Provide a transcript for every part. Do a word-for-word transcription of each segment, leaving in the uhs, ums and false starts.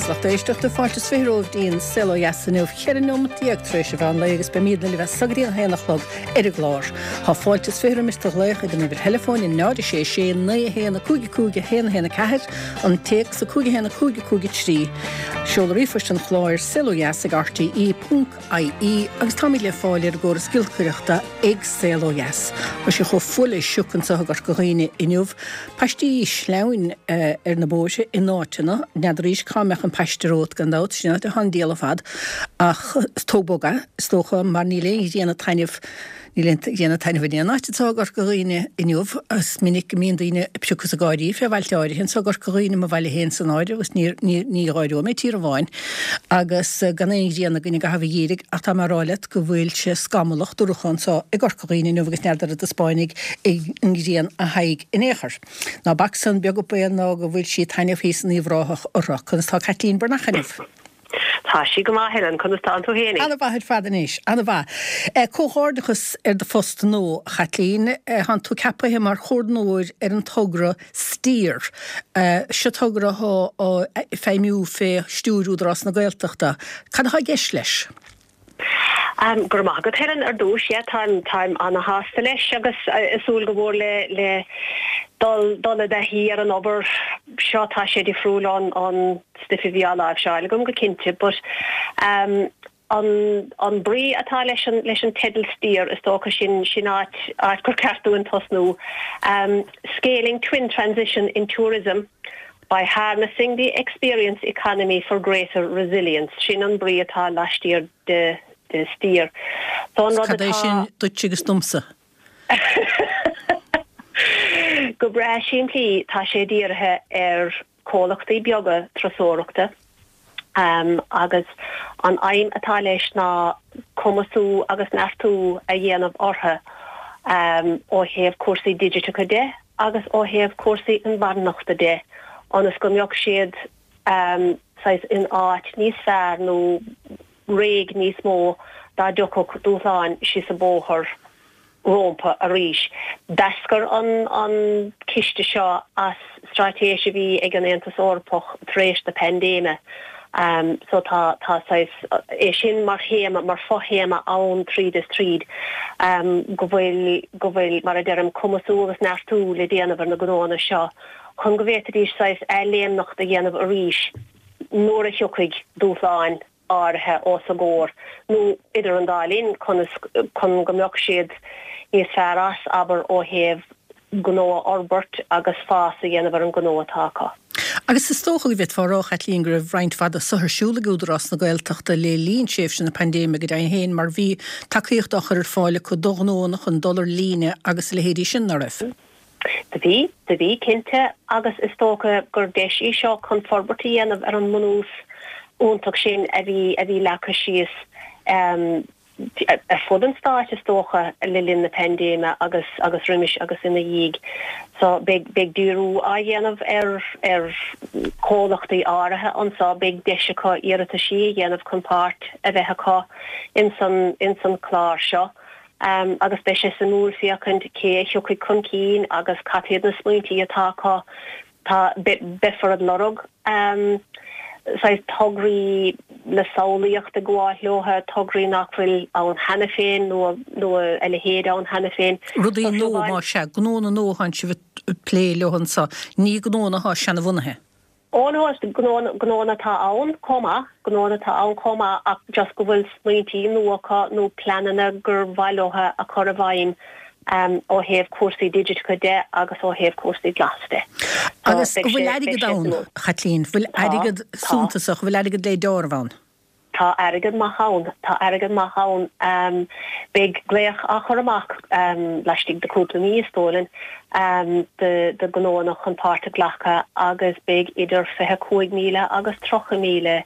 Agus lucht éisteachta fáilte is fiche romhaibh dtí'n Saol Ó Dheas inniu ceithre nóiméad déag tar éis an mheán lae agus beimidne libh as so go dtí an haon a chlog ar an gclár. Tá fáilte is fiche roimis do ghlaoch ag an uimhir theileafóin in náid sé sé naoi a haon a cúig a cúig a haon a haon a ceathair an téacs a cúig a haon a cúig a cúig a trí. Seol ríomhphost an chláir saolodheas ag RTE ponc IE agus táimid le fáil ar an gcóras giolcaireachta ag Saol Ó Dheas. Tá sé chomh fuar le sioc anseo i gCorca Dhuibhne inniu. Paistí sleamhain uh, ar na bóithre in áiteanna, n'fheadar cá mbeadh an paiste romhat gan dabht, sin áit atá an diabhal ar fad ach tóg bog é, is dócha mar níl aon ghrian ag taitneamh níl aon ghrian ag taitneamh in aon áit anseo i gCorca Dhuibhne inniu is minic go mbíonn daoine ag piocadh is ag gáirí fé bhailte áirithe anseo i gCorca Dhuibhne mo bhaile féin san áireamh agus ní ní ní gháireoidh mé tír amháin agus gan aon ghrian againn i gcaitheamh an gheimhridh ach tá mé ag rá leat go bhfuil sé scamallach dorcha anseo i gCorca Dhuibhne inniu agus n'fheadar an dtaispeánfaidh an ghrian a haghaidh in aon chor. Ná bac san beag an baol ná go bhfuil sí ag taitneamh thíos in Uíbh Ráthach orthu, conas tá Caitlín Breathnach inniu. Tá sí go maith Helen conas tá tú féin. An-mhaith ar fad anois, an-mhaith. Comhghairdeachas ar do phost nua, a Chaitlín, Tánn tú ceapaithe mar chomhordnóir ar an togra Steer. Seo togra atá á feidhmiú fé stiúir Údarás na Gaeltachta. Cad atá i gceist leis? Um, go raibh maith agat Helen ar dtús yeah, táim táim an-shásta leis agus ag súil go mór le le dul dul i dtaithí ar an obair seo tá sé difriúil an an stuif a bhí á láimhseáil agam go cinnte, but um, an an brí atá leis an leis an teideal Steer is dócha sin sin áit áit gur ceart dúinn tosnú um, scaling twin transition in tourism by harnessing the experience economy for greater resilience sin an brí atá laistiar de de Steer. So an rud Cad é sin duit agus domsa? Go breá simplí tá sé dírithe ar chomhlachtaí beaga turasóireachta um, agus an aidhm atá leis ná cumasú agus neartú a dhéanamh orthu um, ó thaobh cúrsaí digiteacha de agus ó thaobh cúrsaí inmharthanachta de ionas go mbeadh siad um, in áit níos fearr nó réidh níos mó dá dtiocfadh dúshláin síos an bóthar rompu arís. D'eascair an an ciste seo as straitéis a bhí ag an Aontas Eorpach tar éis na paindéime. Um, so tá tá é sin mar théama mar fothéama ann tríd is tríd um, go bhfuil go bhfuil mar a deirim cumasú agus neartú le déanamh ar na gnóanna seo chun go bhféadfaidís athléimneacht a dhéanamh arís nuair a thiocfaidh dúshláin áirithe os a gcomhair nó idir an dá linn chun chun go mbeadh siad níos fearr as abair ó thaobh gnó a fhorbairt agus fás a dhéanamh ar an gnó atá acu. Agus is dócha go bhféadfá a rá a Chaitlín go raibh roinnt mhaith de seo ar siúl ag Údarás na Gaeltachta le linn tréimhse na paindéime go deimhin féin mar bhí tacaíocht á chur ar fáil acu do ghnóanna chun dul ar líne agus a leithéidí sin nach raibh. Do bhí do bhí cinnte agus is dócha gur deis í seo chun forbairt a dhéanamh ar an mbunús iontach sin a bhí a bhí leagtha síos um, ar fud an stáit is dócha le linn na paindéime agus agus roimis agus ina dhiaidh. So beidh beidh díriú á dhéanamh ar ar chomhlachtaí áirithe anseo beidh deis acu iarrataisí a dhéanamh chun páirt a bheith acu in san in san clár seo. Um, agus beidh sé suimiúil féachaint cé a thiocfaidh chun cinn agus cad iad na smaointí atá acu tá beifear ag lorg um, tograí le samhlaíocht ag gabháil leo tograí nach bhfuil ann cheana féin nó nó a leithéid ann cheana féin. Rudaí nua má sea gnóanna nua atá sibh ag plé leo anseo ní gnóanna atá seanbhunaithe. Ó nó gnóanna atá ann chomh maith gnóanna atá ann chomh maith ach just go bhfuil smaointí nua acu nó pleananna gur mhaith leo a chur i bhfeidhm um, ó thaobh cúrsaí digiteacha de agus ó thaobh cúrsaí glas de. Agus bhfuil airgead ann Chaitlín, bhfuil airgead suntasach, bhfuil airgead le deáramh ann. Tá airgead maith ann, tá airgead maith ann um, beidh glaoch á chur amach um, laistigh de cúpla mí is dóigh liom um, de, de gnóanna chun páirt a ghlacadh agus beidh idir fiche cúig míle agus tríocha míle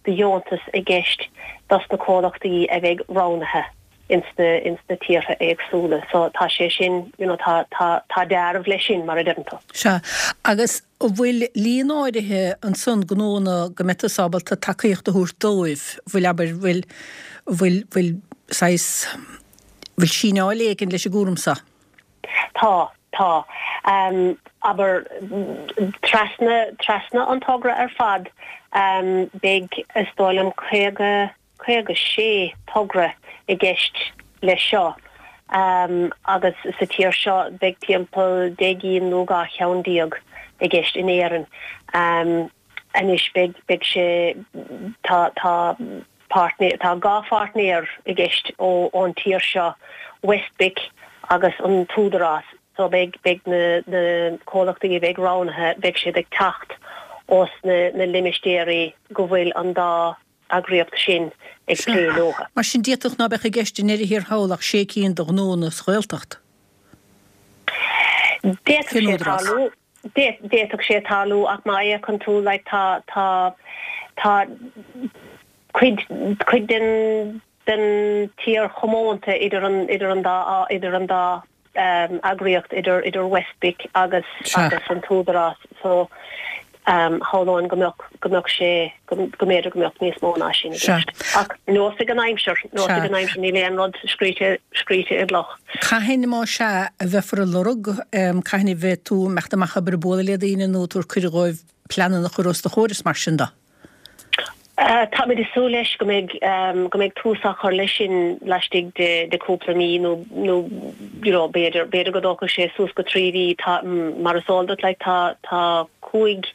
de dheontas i gceist dos na comhlachtaí a bheidh roghnaithe. ins na ins na tíortha éagsúla so tá sé sin you know tá tá tá dearbh leis sin mar a deireann tú. Sea agus an bhfuil líon áirithe ansan gnóanna go mbeidh tú ábalta tacaíocht a thabhairt dóibh bhfuil abair bhfuil bhfuil bhfuil saghas bhfuil síneáil éigin leis an gcúram seo. Tá tá um, abair trasna trasna an togra ar fad Beidh, is dóigh liom, caoga, caoga sé togra i gceist leis seo agus sa tír seo beidh timpeall deich gcinn nó dhá cheann déag i gceist in Éirinn. Anois beidh, beidh sé, tá, tá páirtnéir, tá dhá pháirtnéir i gceist ó, ón tír seo, WestBIC agus an tÚdarás. So beidh, beidh na, na comhlachtaí a bheidh roghnaithe, beidh siad ag teacht ós na, na limistéirí go bhfuil an dá eagraíocht sin ag plé leo. Mar sin d'fhéadfadh ná beadh i gceist i ndeireadh thiar thall ach sé cinn de ghnónna sa Ghaeltacht. D'fhéadfadh sé tarlú, d'fhéadfadh sé tarlú ach má fhéachann tú like tá, tá, tá cuid, cuid den, den tír chomónta idir an, idir an dá, idir an dá eagraíocht, idir, idir WestBIC agus, agus an tÚdarás so shamhlóinn go mbeadh, go mbeadh sé, go mb'fhéidir go mbeadh níos mó ná sin i gceist. Ach neosfaidh an aimsir, neosfaidh an aimsir, níl aon rud scríte, scríte i gcloch. Cathain, más ea, a bheifear á lorg, cathain a bheidh tú ag imeacht amach ag obair ag bualadh le daoine nó ag tabhairt cuireadh dhóibh pleananna a chur os do chomhair is mar sin de? Táimid ag súil leis go mbeidh go mbeidh tús á chur leis sin laistigh de de cúpla mí nó nó you know b'fhéidir b'fhéidir go dtógfaidh sé suas go trí mhí. Tá mar is eol duit like tá tá cúig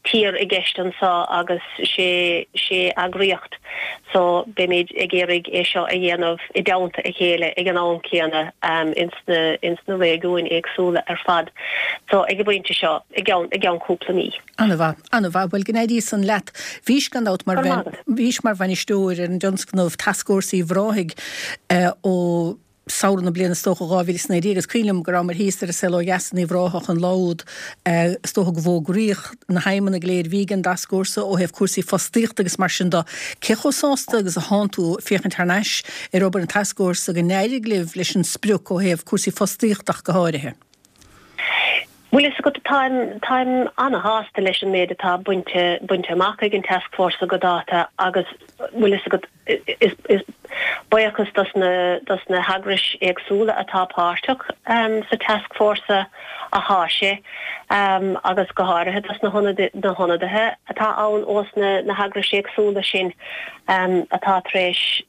tír i gceist anseo agus sé sé eagraíocht so beimid ag iarraidh é seo a dhéanamh i dteannta a chéile ag an am céanna ins na ins na réigiúin éagsúla ar fad. So ag an bpointe seo i gceann i gceann cúpla mí. An-mhaith, an-mhaith. Bhuel, go n-éirí san leat. Bhís, gan dabht, mar bhís mar bhainisteoir ar an dtionscnamh Tascfhórsa Uíbh Ráthaigh ó samhradh na bliana is dócha dhá mhíle is naoi déag agus cuimhin liom go rabhamar thíos ar an Saol Ó Dheas in Uíbh Ráthach an lá úd is dócha go bhfógraíodh na haidhmeanna go léir a bhí ag an dtascfhórsa ó thaobh cúrsaí fostaíochta agus mar sin de. Cé chomh sásta agus a thánn tú féachaint thar n-ais ar obair an tascfhórsa go n-éirigh libh leis an sprioc ó thaobh cúrsaí fostaíochta ach go háirithe? Bhfuil fhios agat, táim, táim ana-shásta leis an méid atá bainte, bainte amach ag an tascfhórsa go dáta agus bhfuil fhios agat, is, is buíochas dos na, dos na heagrais éagsúla atá páirteach sa tascfhórsa athá sé agus go háirithe dos na na hionadaithe atá ann ós na, na heagrais éagsúla sin atá tar éis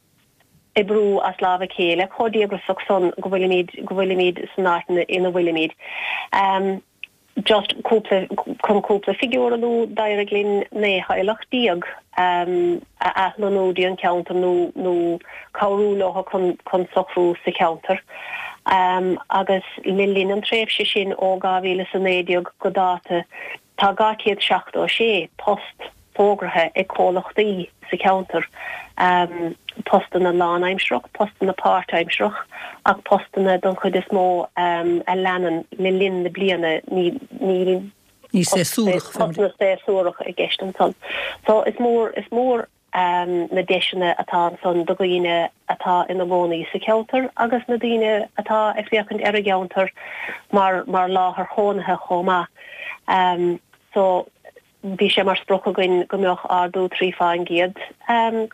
oibriú as lámh a chéile chomh díograiseach san go bhfuilimid go bhfuilimid san áit ina bhfuilimid. Just cúpla chun cúpla figiúr a lua, d'éirigh linn naoi theaghlach déag a athlonnú dtí an ceantar nó nó cabhrú leo chun chun socrú sa cheantar. Agus le linn an tréimhse sin ó dhá mhíle is a naoi déag go dáta tá dhá chéad seachtó a sé post fógraithe ag comhlachtaí sa cheantar, postanna lánaimsearach, postanna páirtaimsearach ach postanna don chuid is mó a leanann le linn na bliana, níl postanna séasúrach i gceist ansan. So is mór, is mór na deiseanna atá ansan do dhaoine atá ina gcónaí sa cheantar agus na daoine atá ag féachaint ar an gceantar mar mar láthair chónaithe chomh maith. So Bhí sé mar sprioc againn go mbeadh ardú trí faoin gcéad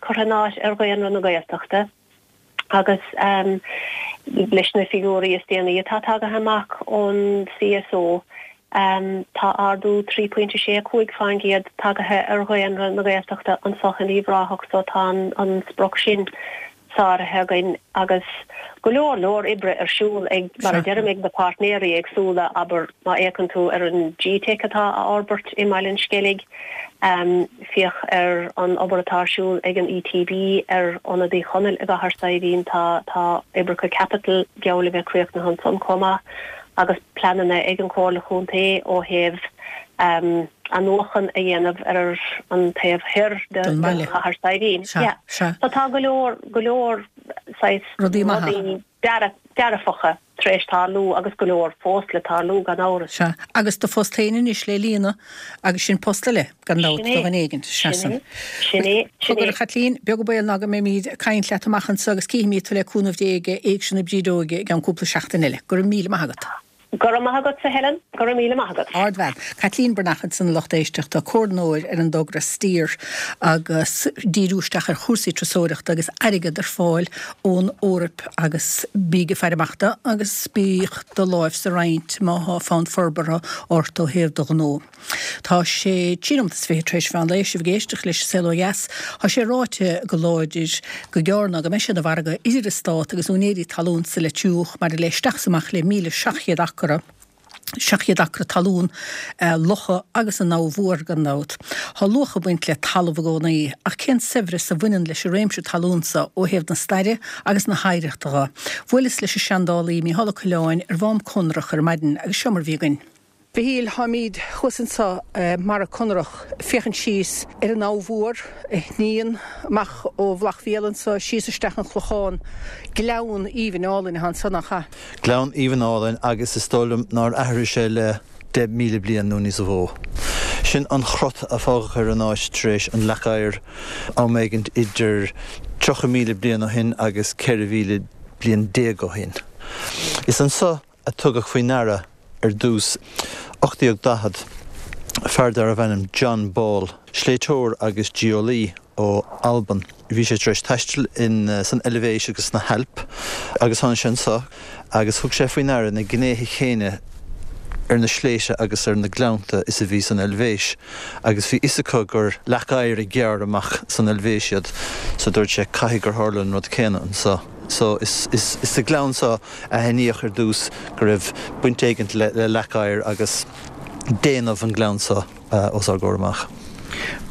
curtha in áit ar dhaonra na Gaeltachta agus leis na figiúirí is déanaí atá tagaithe amach ón CSO tá ardú trí pointe sé cúig faoin gcéad tagaithe ar dhaonra na Gaeltachta anseo in Uíbh Ráthach so tá an sprioc sin sáraithe againn agus go leor leor oibre ar siúl ag, mar a deirim, ag na páirtnéirí éagsúla, abair, má fhéachann tú ar an G-Teic atá á fhorbairt i mBaile an Sceilg, féach ar an obair atá ar siúl ag an ETB ar Ionad Uí Chonaill i gCathair Saidhbhín, tá tá oibreacha caipitil geall le bheith críochnaithe ansan chomh maith agus pleananna ag an Chomhairle Chontae ó thaobh athnuachan a dhéanamh ar an taobh thoir de Chathair Saidhbhín. Yeah. So tá go leor, go leor saghas rudaí maithe, dearfacha tar éis tarlú agus go leor fós le tarlú gan amhras. Sea. Agus do phost féin anois le líonadh agus sin post eile, gan dabht, do dhuine éigin. Sea san. Sin é. Sin é. Cogar, a Chaitlín, beag an baol ná go mbeimid ag caint leat amach anseo agus cífimid tú le cúnamh Dé ag Éigse na Brídeoige i gceann cúpla seachtain eile. Go raibh míle maith agat. Go raibh maith agatsa Helen, go raibh míle maith agat. Ardbhean. Caitlín Breathnach ansan a lucht éisteachta, comhordnóir ar an dtogra Steer agus díriú isteach ar chúrsaí turasóireachta agus airgead ar fáil ón Eoraip agus bíg ag faire amach dó agus bíodh do láimh sa roinnt má thá fonn forbartha ort ó thaobh do ghnó. Tá sé trí nóimeat is fiche tar éis mheán lae, sibh ag éisteacht leis an Saol Ó Dheas. Tá sé ráite go láidir go gearr ná go mbeidh sé ina mhargadh idir an Stát agus úinéirí talún sa Leitriúch maidir le isteach is amach le míle seacht chéad acra, seacht chéad acra talún, locha agus an Abha Mhór gan dabht. Tá luach ag baint le talamh i gcónaí, ach cén saibhreas a bhaineann leis an réimse talún so ó thaobh na staire agus na hoidhreachta dho? Bhuaileas leis an seandálaí Mícheál Ó Coileáin ar Mhám Conrach ar maidin agus seo mar bhí againn. Mhichíl, táimid thuas anso i mBarra Conrach ag féachaint síos ar an Abha Mhór a shníonn amach ó Mhullach Mhéal anso síos isteach an Clochán. Gleann aoibhinn álainn atá anso, nach ea? Gleann aoibhinn álainn agus is dóigh liom nár athraigh sé le deich míle bliain nó níos mó. Sin an crot a fágadh ar an áit tar éis an leac oighir am éigint idir tríocha míle bliain ó shin agus ceithre mhíle bliain déag ó shin. Is anso a tugadh faoi ndeara ar dtús, ocht déag daichead, fear darbh ainm John Ball, sléibhteoir agus geolaí ó Albain. Bhí sé tar éis taisteal in san Eilvéis agus sna hAilp agus tháinig sé anso agus thug sé faoi ndeara na gnéithe chéanna ar na sléibhte agus ar na gleannta is a bhí san Eilvéis agus bhí fhios acu gur leac oighir a ghearr amach san Eilvéis iad so dúirt sé caithfidh gur tharla an rud céanna anso. So is is sa ghleann seo a aithníodh ar dtús go raibh baint éigint le le leac oighir agus déanamh an ghleann seo os ár gcomhair amach.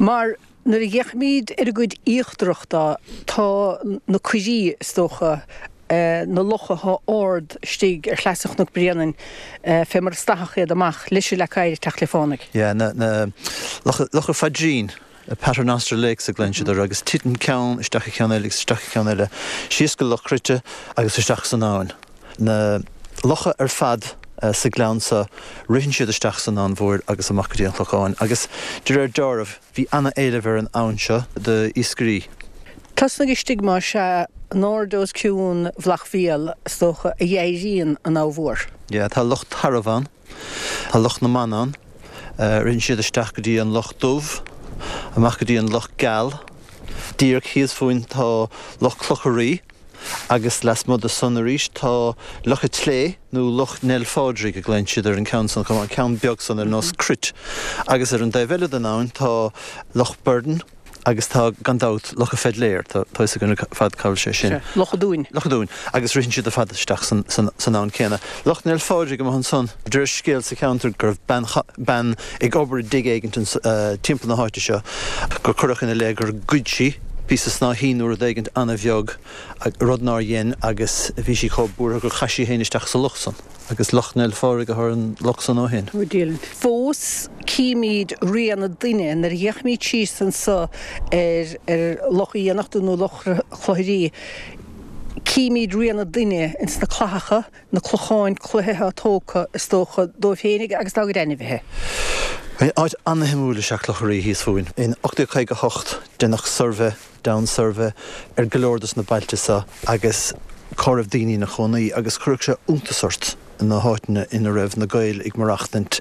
Mar nuair a fhéachaimid ar an gcuid íochtarach de tá na coirí, is dócha, na locha atá ard istigh ar shleasa Chnoc Bréanainn fé mar a stathadh iad amach leis an leac oighir ag teacht le fánaidh. Yeah, na na locha Locha Phaidrín. Paternoster Lakes a ghlaonn siad orthu, agus titeann ceann isteach i gceann eile agus isteach i gceann eile, síos go Loch Cruite agus isteach san abhainn. Na locha ar fad sa ghleann seo, ritheann siad isteach san Abhainn Mhóir agus amach go dtí an Clochán, agus de réir dealraimh, bhí ana-éileamh ar an abhainn seo d'iascairí. Tosnaigh istigh más ea, in airde os cionn Mhullach Mhéal, is dócha, a éiríonn an Abha Mhór. Yeah, tá Loch Tarbh ann, tá Loch na mBan ann. Ritheann siad isteach go dtí an Loch Dubh, amach go dtí an Loch Geal. Díreach thíos fúinn tá Loch Clocha Rí agus lasmuigh de san arís tá Loch a' tSlé nó Loch Nell Phádraig a ghlaonn siad ar an ceann san chomh maith, an ceann beag san ar nós cruit. Agus ar an dtaobh eile den abhainn tá Loch Burden. Agus tá, gan dabht, Loch a' Pheidléir, tá fhios againn ar fad cá bhfuil sé sin. Sea, Loch a' Dúin. Loch a' Dúin. Agus ritheann siad ar fad isteach san, san, san abhainn céanna. Loch Nell Phádraig amuigh ansan. Deir scéal sa cheantar go raibh bean, bean ag obair i dtigh éigint ins, timpeall na háite seo, gur cuireadh ina leith gur ghoid sí píosa snáithín nó rud éigint ana-bheag, rud nár dhein, agus bhí sí chomh buartha gur chaith sí féin isteach sa loch san. Agus Loch Nell Phádraig atá ar an loch san ó shin. Ó Dillon. Fós címid rian an duine nuair a fhéachaimid síos anso ar ar Loch Uí Fhiannachta nó Loch Chloich Rí, címid rian an duine ins na clathacha, na clocháin cloiche atá tógtha, is dócha, dóibh féinig agus dá gcuid ainmhithe. Áit ana-shuimiúil is ea Cloch Rí thíos fúinn. In ocht déag caoga a hocht deineadh suirbhé, Down Survey, ar go leor dos na bailte seo agus cá raibh daoine ina chónaí agus chuirfeadh sé iontas ort na háiteanna ina raibh na Gaeil ag maireachtaint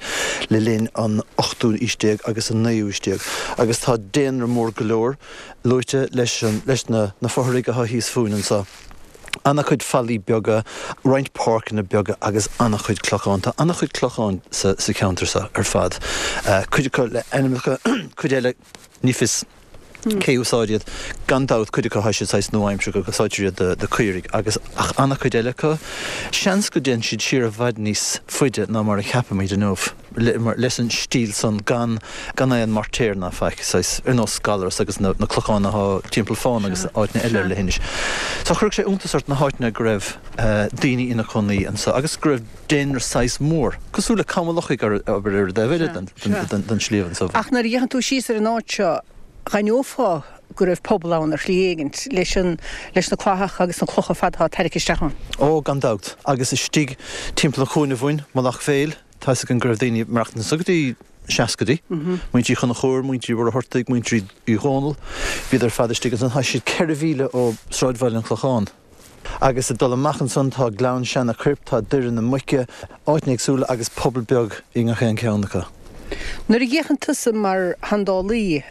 le linn an ochtú aois déag agus an naoú aois déag agus tá daonra mór go leor luaite leis an leis na na fothraigh atá thíos fúinn anseo. Ana-chuid fallaí beaga, roinnt páirceanna beaga agus ana-chuid clochán. Tá ana-chuid clochán sa sa cheantar seo ar fad. Cuid acu le ainmneacha, cuid eile ní fios. Cé úsáid iad? Gan dabht, cuid acu tá siad saghas nua-aimseartha, go úsáidtear iad do caoirigh agus ach an-chuid eile acu, seans go dtéann siad siar i bhfad níos faide ná mar a cheapaimid inniu, leis an stíl san gan gan aon moirtéar ná faic, saghas ar nós Gallarus agus na clocháin atá timpeall Fána agus áiteanna eile ar leithinis. So chuirfeadh sé iontas ort na háiteanna go raibh daoine ina cónaí anso agus go raibh daonra saghas mór, cosúil le Cam an Lochaigh ar abair ar an dtaobh eile den sliabh anso. Ach nuair a fhéachann tú síos ar an áit seo, D'aithneofá go raibh pobal ann ar shlí éigint leis an, leis na clathacha agus na clocha ar fad atá tarraicthe isteach ann. Ó, gan dabht. Agus istigh timpeall an chúinne uainn, Mullach Mhéil, tá 'fhios againn go raibh daoine ag maireachtaint anso go dtí na seascaidí. Muintir Uí Chonchúir, muintir Uí Mhuircheartaigh, muintir Uí Dhónaill, bhíodar ar fad istigh ansan. Tá siad ceithre mhíle ó sráidbhaile an Chlocháin. Agus ag dul amach ansan tá Gleann Seanna Coirp, tá Doire na Muice, Áiteanna éagsúla agus pobal beag i ngach aon cheann acu. Nuair a fhéachann tusa mar sheandálaí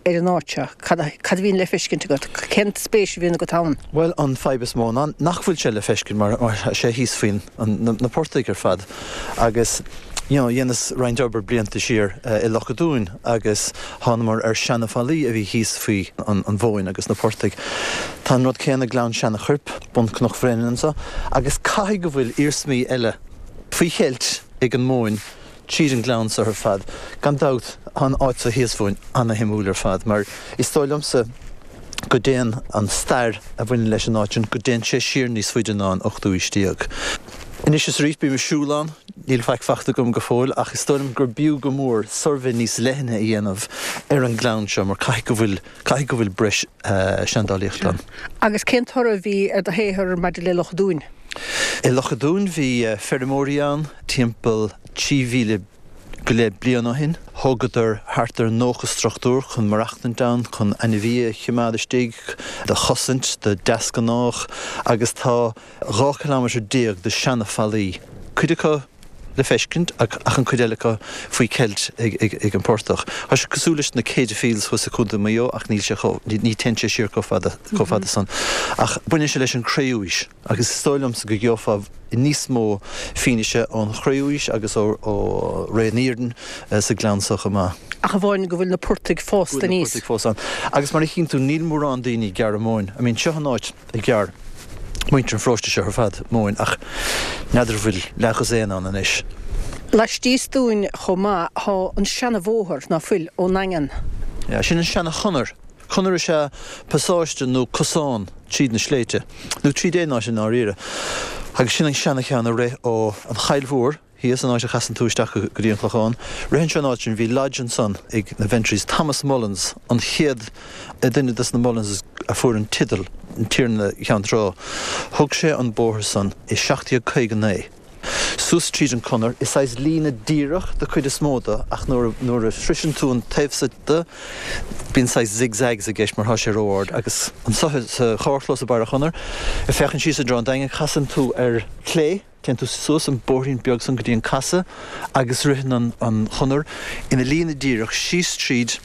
ar an áit seo, cad a bhíonn le feiscint agat? Cén spéis a bhíonn agat ann? Bhuel, an fadhb is mó ná nach bhfuil sé le feiscint mar tá sé thíos faoin na portaigh ar fad agus you know, dheineas roinnt obair blianta siar i Loch a' Dúin agus thánamar ar seana-fhallaí a bhí thíos faoi an mhóin agus na portaigh. Tá an rud céanna i nGleann Seana-Choirp, bun Cnoc Bhréanainn anso, agus caithfidh go bhfuil iarsmaí eile faoi cheilt ag an móin tríd an gleann so ar fad. Gan dabht, tá an áit so thíos fúinn ana-shuimiúil ar fad, mar is dóigh liomsa go dtéann an stair a bhaineann leis an áit sin, go dtéann sé siar níos faide ná an ochtú aois déag. Anois is arís bím ag siúl ann, níl faic fachta agam go fóill, ach is dóigh liom gur b'fhiú go mór suirbhé níos leithne a dhéanamh ar an ngleann seo, mar caithfidh go bhfuil, caithfidh go bhfuil breis seandálaíochta ann. Agus cén toradh a bhí ar do shaothar maidir le Loch a' Dúin? I Loch a' Dúin bhí feirmeoirí ann timpeall trí mhíle go leith bliain ó shin. Thógadar thart ar nócha struchtúr chun maireachtaint ann, chun ainmhithe a choimeád istigh, do chosaint, do deasghnách agus tá dhá chileámeter déag de seana-fhallaí, cuid acu le feiscint ach an cuid eile acu faoi cheilt ag an portach. Tá sé cosúil leis na Céide Fields thuas i Contae Mhaigh Eo ach níl sé chomh, ní téann sé siar chomh fada, chomh fada san. Ach baineann sé leis an Chré-Umhaois agus is dóigh liomsa go gheofá níos mó fianaise ón Chré-Umhaois agus ó Ré an Iarainn sa ghleann so chomh maith. Ach amháin go bhfuil na portaigh fásta aníos. Go bhfuil na portaigh fós ann. Agus mar a chíonn tú níl mórán daoine ag gearradh móin. I mean seo an áit a ghearr muintir an pharóiste seo ar fad móin ach n'fheadar an bhfuil leathdhosaen ann anois. Laistíos dúinn chomh maith thá an seana-bhóthar, ná fuil, ón nDaingean. Yeah, sin an seana-chonair. Conair is ea pasáiste nó cosán tríd na sléibhte, nó tríd aon áit i ndáiríre. Agus sin an seana-cheann a rith ó an Choill Mhór thíos, an áit a chasann tú isteach go dtí an Clochán. Ritheann sé an áit sin, bhí lodge ansan ag na Ventrys, Thomas Mullins, an chéad duine dos na Mullins a fuair an teideal Tiarna Cheann Trá. Thóg sé an bóthar san i seacht déag caoga naoi. Suas tríd an conair, is saghas líne díreach de chuid is mó de ach nuair nuair a shroiseann tú an taobh so de bíonn saghas zig-zags i gceist mar thá sé ró-ard agus anso sa charrchlós i barr an chonair, ag féachaint síos i dtreo an Daingin, casann tú ar clé, téann tú suas an bóithrín beag san go dtí an casadh agus ritheann an an chonair ina líne díreach síos tríd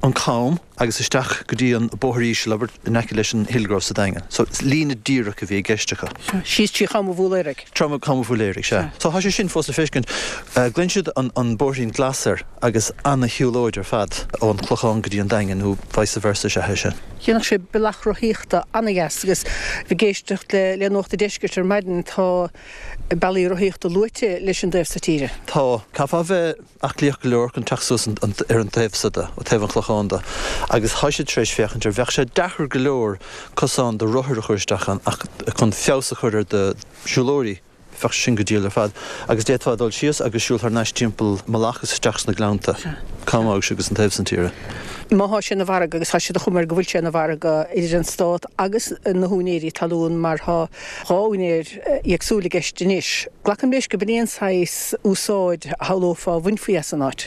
an cam agus isteach go dtí an bóthar íseal, abair, in aice leis an Hillgrove sa Daingean. So, líne díreach a bhí i gceist acu. Síos trí Cham an Bhúiléaraigh. Trí Cham an Bhúiléaraigh, sea. So, tá sé sin fós le feiscint. Glaonn siad an an bóithrín glas air agus ana-shiúlóid ar fad ón Chlochán go dtí an Daingean nó vice versa is ea é sin. Dhéanfadh sé bealach rothaíochta ana-dheas agus ag éisteacht le le Nuacht an Deiscirt ar maidin tá bealaí rothaíochta luaite leis an dtaobh so tíre. Tá. Caithfeá bheith aclaíoch go leor chun teacht suas ar an taobh so de, ó taobh an Chlocháin de, agus thá siad tar éis féachaint ar, bheadh sé deacair go leor cosán do rothair a chur isteach ann ach chun feabhas a chur ar do siúlóirí, bheadh sé sin go diail ar fad. Agus d'fhéadfá dul síos agus siúl thar n-ais timpeall Mullach is isteach sna gleannta, Cam Aghais agus an taobh san tíre. Má thá sé ina mhargadh, agus thá sé de chuma air go bhfuil sé ina mhargadh idir an Stát agus na húinéirí talún mar thá dhá úinéir éagsúil i gceist anois, glacaim leis go b'in é an saghas úsáid a shamhlófá a bhainfí as an áit.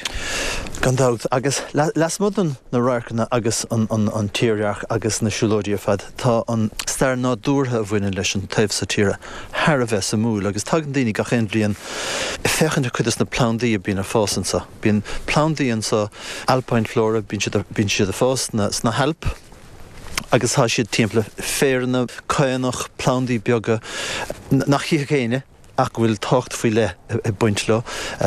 Gan dabht. Agus lasmuigh den na radharcanna agus an tírdhreach agus na siúlóidí ar fad, tá an stair nádúrtha a bhaineann leis an taobh so tíre thar a bheith suimiúil agus tagann daoine gach aon bhliain ag féachaint ar cuid des na plandaí a bíonn ag fás anso. Bíonn plandaí anso, alpine flora, bíonn siad, bíonn siad ag fás sna, sna hAilp agus tá siad timpeall féaranna, caonach, plandaí beaga nach chífeadh éinne ach go bhfuil tábhacht faoi leith ag baint leo.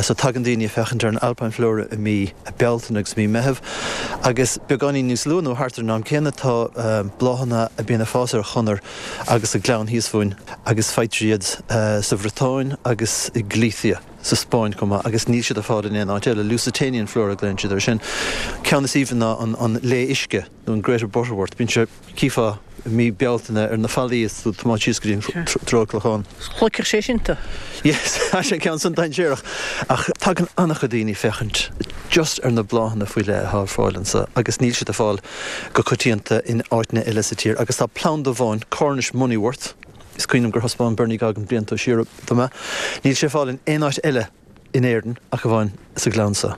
So tagann daoine ag féachaint ar an alpine flora i mí Bealtaine agus mí Meitheamh agus beagáinín níos luath nó thart ar an am céanna tá bláthanna a bíonn ag fás ar chonair agus sa ghleann thíos fúinn agus faightear iad sa Bhriotáin agus i Galicia. sa Spáinn chomh maith agus níl siad ar fáil in aon áit eile. Lusitanian flora a ghlaonn siad air sin. Ceann is aoibhinn ná an lao uisce nó an greater butterwort. Bíonn sé, chífeá i mí Bealtaine ar na fallaí is tú ag tiomáint síos go dtí an treo Clochán. Shloigfeadh sé sin tú. Yes, tá sé an ceann san dainséarach. Ach tagann an-chuid daoine ag féachaint just ar na bláthanna faoi leith atá ar fáil anso agus níl siad ar fáil go coitianta in áiteanna eile sa tír. Agus tá planda amháin, Cornish moneywort, Is cuimhin liom gur thaispeáin Bernie Goggin blianta siar dom é. Níl sé ar fáil in aon áit eile in Éirinn ach amháin sa ghleann so.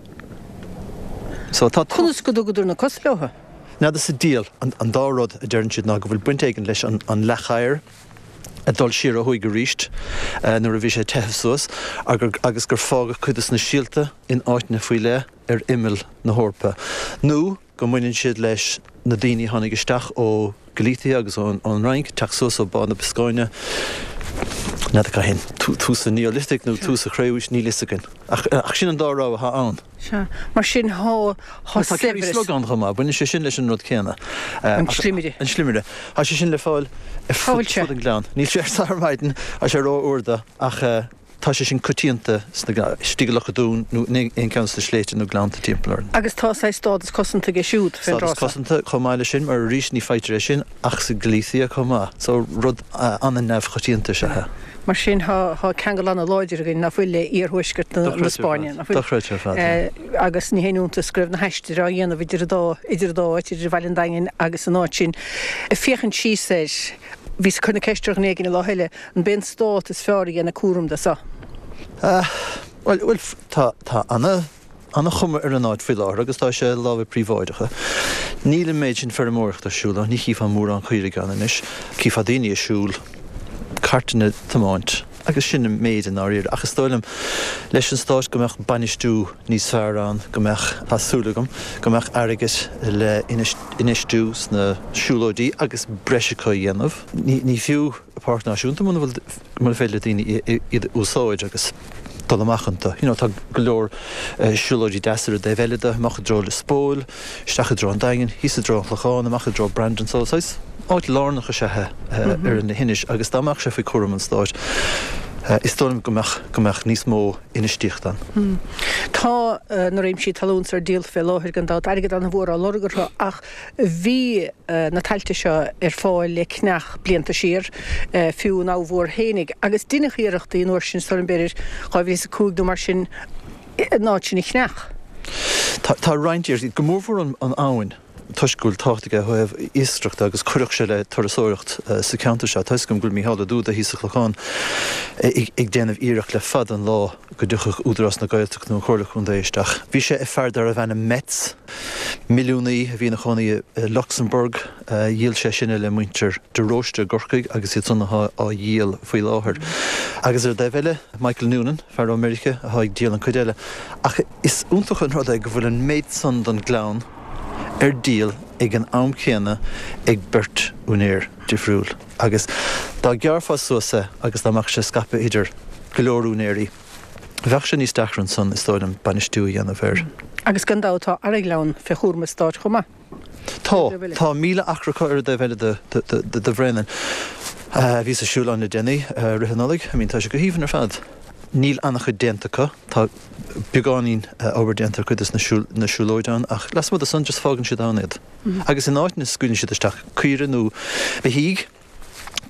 So tá. Conas go dtugadar na cosa leo? N'fheadar sa diabhal. An dá rud a deireann siad ná go bhfuil baint éigin leis an leac oighir ag dul siar ó thuaidh arís nuair a bhí sé ag teitheadh suas agus gur fágadh cuid de na síolta in áiteanna faoi leith ar imeall na hEorpa nó go mbaineann siad leis na daoine a tháinig isteach ó Galicia agus ón Fhrainc, teacht suas ó Bá na Bioscáine, n'fheadar cathain, tús an Neolithic nó tús an Chré-Umhaois, níl fhios againn. Ach sin an dá rogha atá ann. Sea. Mar sin thá, thá Tá Kerry saibhreas. Slug ann chomh maith, baineann sé sin leis an rud céanna. An slimire. An slimire. Tá sé sin le fáil ar Cá fud bhfuil sé? fud an ghleann. Níl sé ar ar maidin, tá sé ró-fhuar dó, ach tá sé sin coitianta sna, istigh i Loch an Dúin nó in aon cheann de na sléibhte nó gleannta timpeall orainn. Agus tá saghas stádas cosanta aige siúd fén Stádas dtráth seo. cosanta chomh maith leis sin, mar arís ní faightear é sin ach sa Galicia chomh maith. So rud an-neamhchoitianta is ea é. Mar sin tá tá ceangal an-láidir againn nach bhfuil le iarthuaisceart na na Spáinne, nach bhfuil? Dochreidte ar fad, yeah. Agus ní haon iontas go raibh na haistir á dhéanamh idir an dá idir an dá áit, idir Bhaile an Daingin agus an áit sin. Ag féachaint síos air, bhíos ag cur na ceiste ar dhuine éigin an lá eile, an b'é an stát is fearr a dhéanadh cúram de seo? Bhuel, bhuel, tá tá ana ana-chuma ar an áit faoi láthair agus tá sé i lámha príobháideacha. Níl an méid sin feirmeoireachta ar siúl ann, ní chífeá mórán caoirigh ann anois. Chífeá daoine ag siúl, cairteanna ag tiomáint agus sin an méid i ndáiríre. Ach is dóigh liom leis an stát go mbeadh bainistiú níos fearr ann, go mbeadh, tá súil agam, go mbeadh airgead le infheistiú sna siúlóidí agus breis acu a dhéanamh. Ní, ní fiú páirc náisiúnta muna bhfuil, muna féidir le daoine iad a úsáid agus dul amach iontu. You know, tá go leor siúlóidí deasa ar an dtaobh eile de, amach i dtreo Lios Póil, isteach i dtreo an Daingin, thíos i dtreo an Chlocháin, amach i dtreo Brandon. So saghas áit lárnach is ea é ar na hInis agus dá mbeadh sé faoi chúram an stáit, is dóigh liom go mbeadh, go mbeadh níos mó infheistíochta ann. Tá na réimsí talún seo ar díol fé láthair gan dabht, airgead an-mhór á lorg orthu ach bhí na tailte seo ar fáil le ceannach blianta siar, fiú an Abha Mhór fhéinig, agus deineadh iarrachtaí an uair sin, is dóigh liom b'fhéidir dhá mhíle is a cúig nó mar sin, an áit sin a cheannach. Tá, tá roinnt iarrachtaí, go mórmhór an, an abhainn, toisc go bhfuil tábhacht aige ó thaobh iascaireachta agus chuirfeadh sé le turasóireacht sa cheantar seo. Tá 'fhios agam go bhfuil Mícheál Ó Dúda thíos sa Chlochán ag déanamh iarracht le fada an lá go dtiocfadh Údarás na Gaeltachta nó an Chomhairle Contae isteach. Bhí sé ag fear darbh ainm Metz, milliúnaí a bhí ina chónaí i Lucsamburg. Dhíol sé sin é le muintir de Róiste i gCorcaigh agus iad san atá á dhíol faoi láthair. Agus ar an dtaobh eile, Michael Noonan, fear ó Meiriceá, atá ag díol an chuid eile. Ach is iontach an rud é go bhfuil an méid san den ghleann ar díol ag an am céanna ag beirt úinéir difriúil. Agus dá ghearrfá suas é agus dá mbeadh sé scaipthe idir go leor úinéirí, bheadh sé níos deacra ansan, is dóigh liom, bainistiú a dhéanamh air. Agus gan dabht tá Araghleann fé chúram an stáit chomh maith. Tá, tá míle acra acu ar an dtaobh eile de, de Bhréanainn. Bhíos ag siúl ann le déanaí, rith an Nollaig. I mean, tá sé go haoibhinn ar fad. Níl an-chuid déanta acu. Tá beagáinín obair déanta ar cuid de na siúlóidí ann ach lasmuigh de san just fágann siad ann iad. Agus in áiteanna scaoileann siad isteach caoire nó beithígh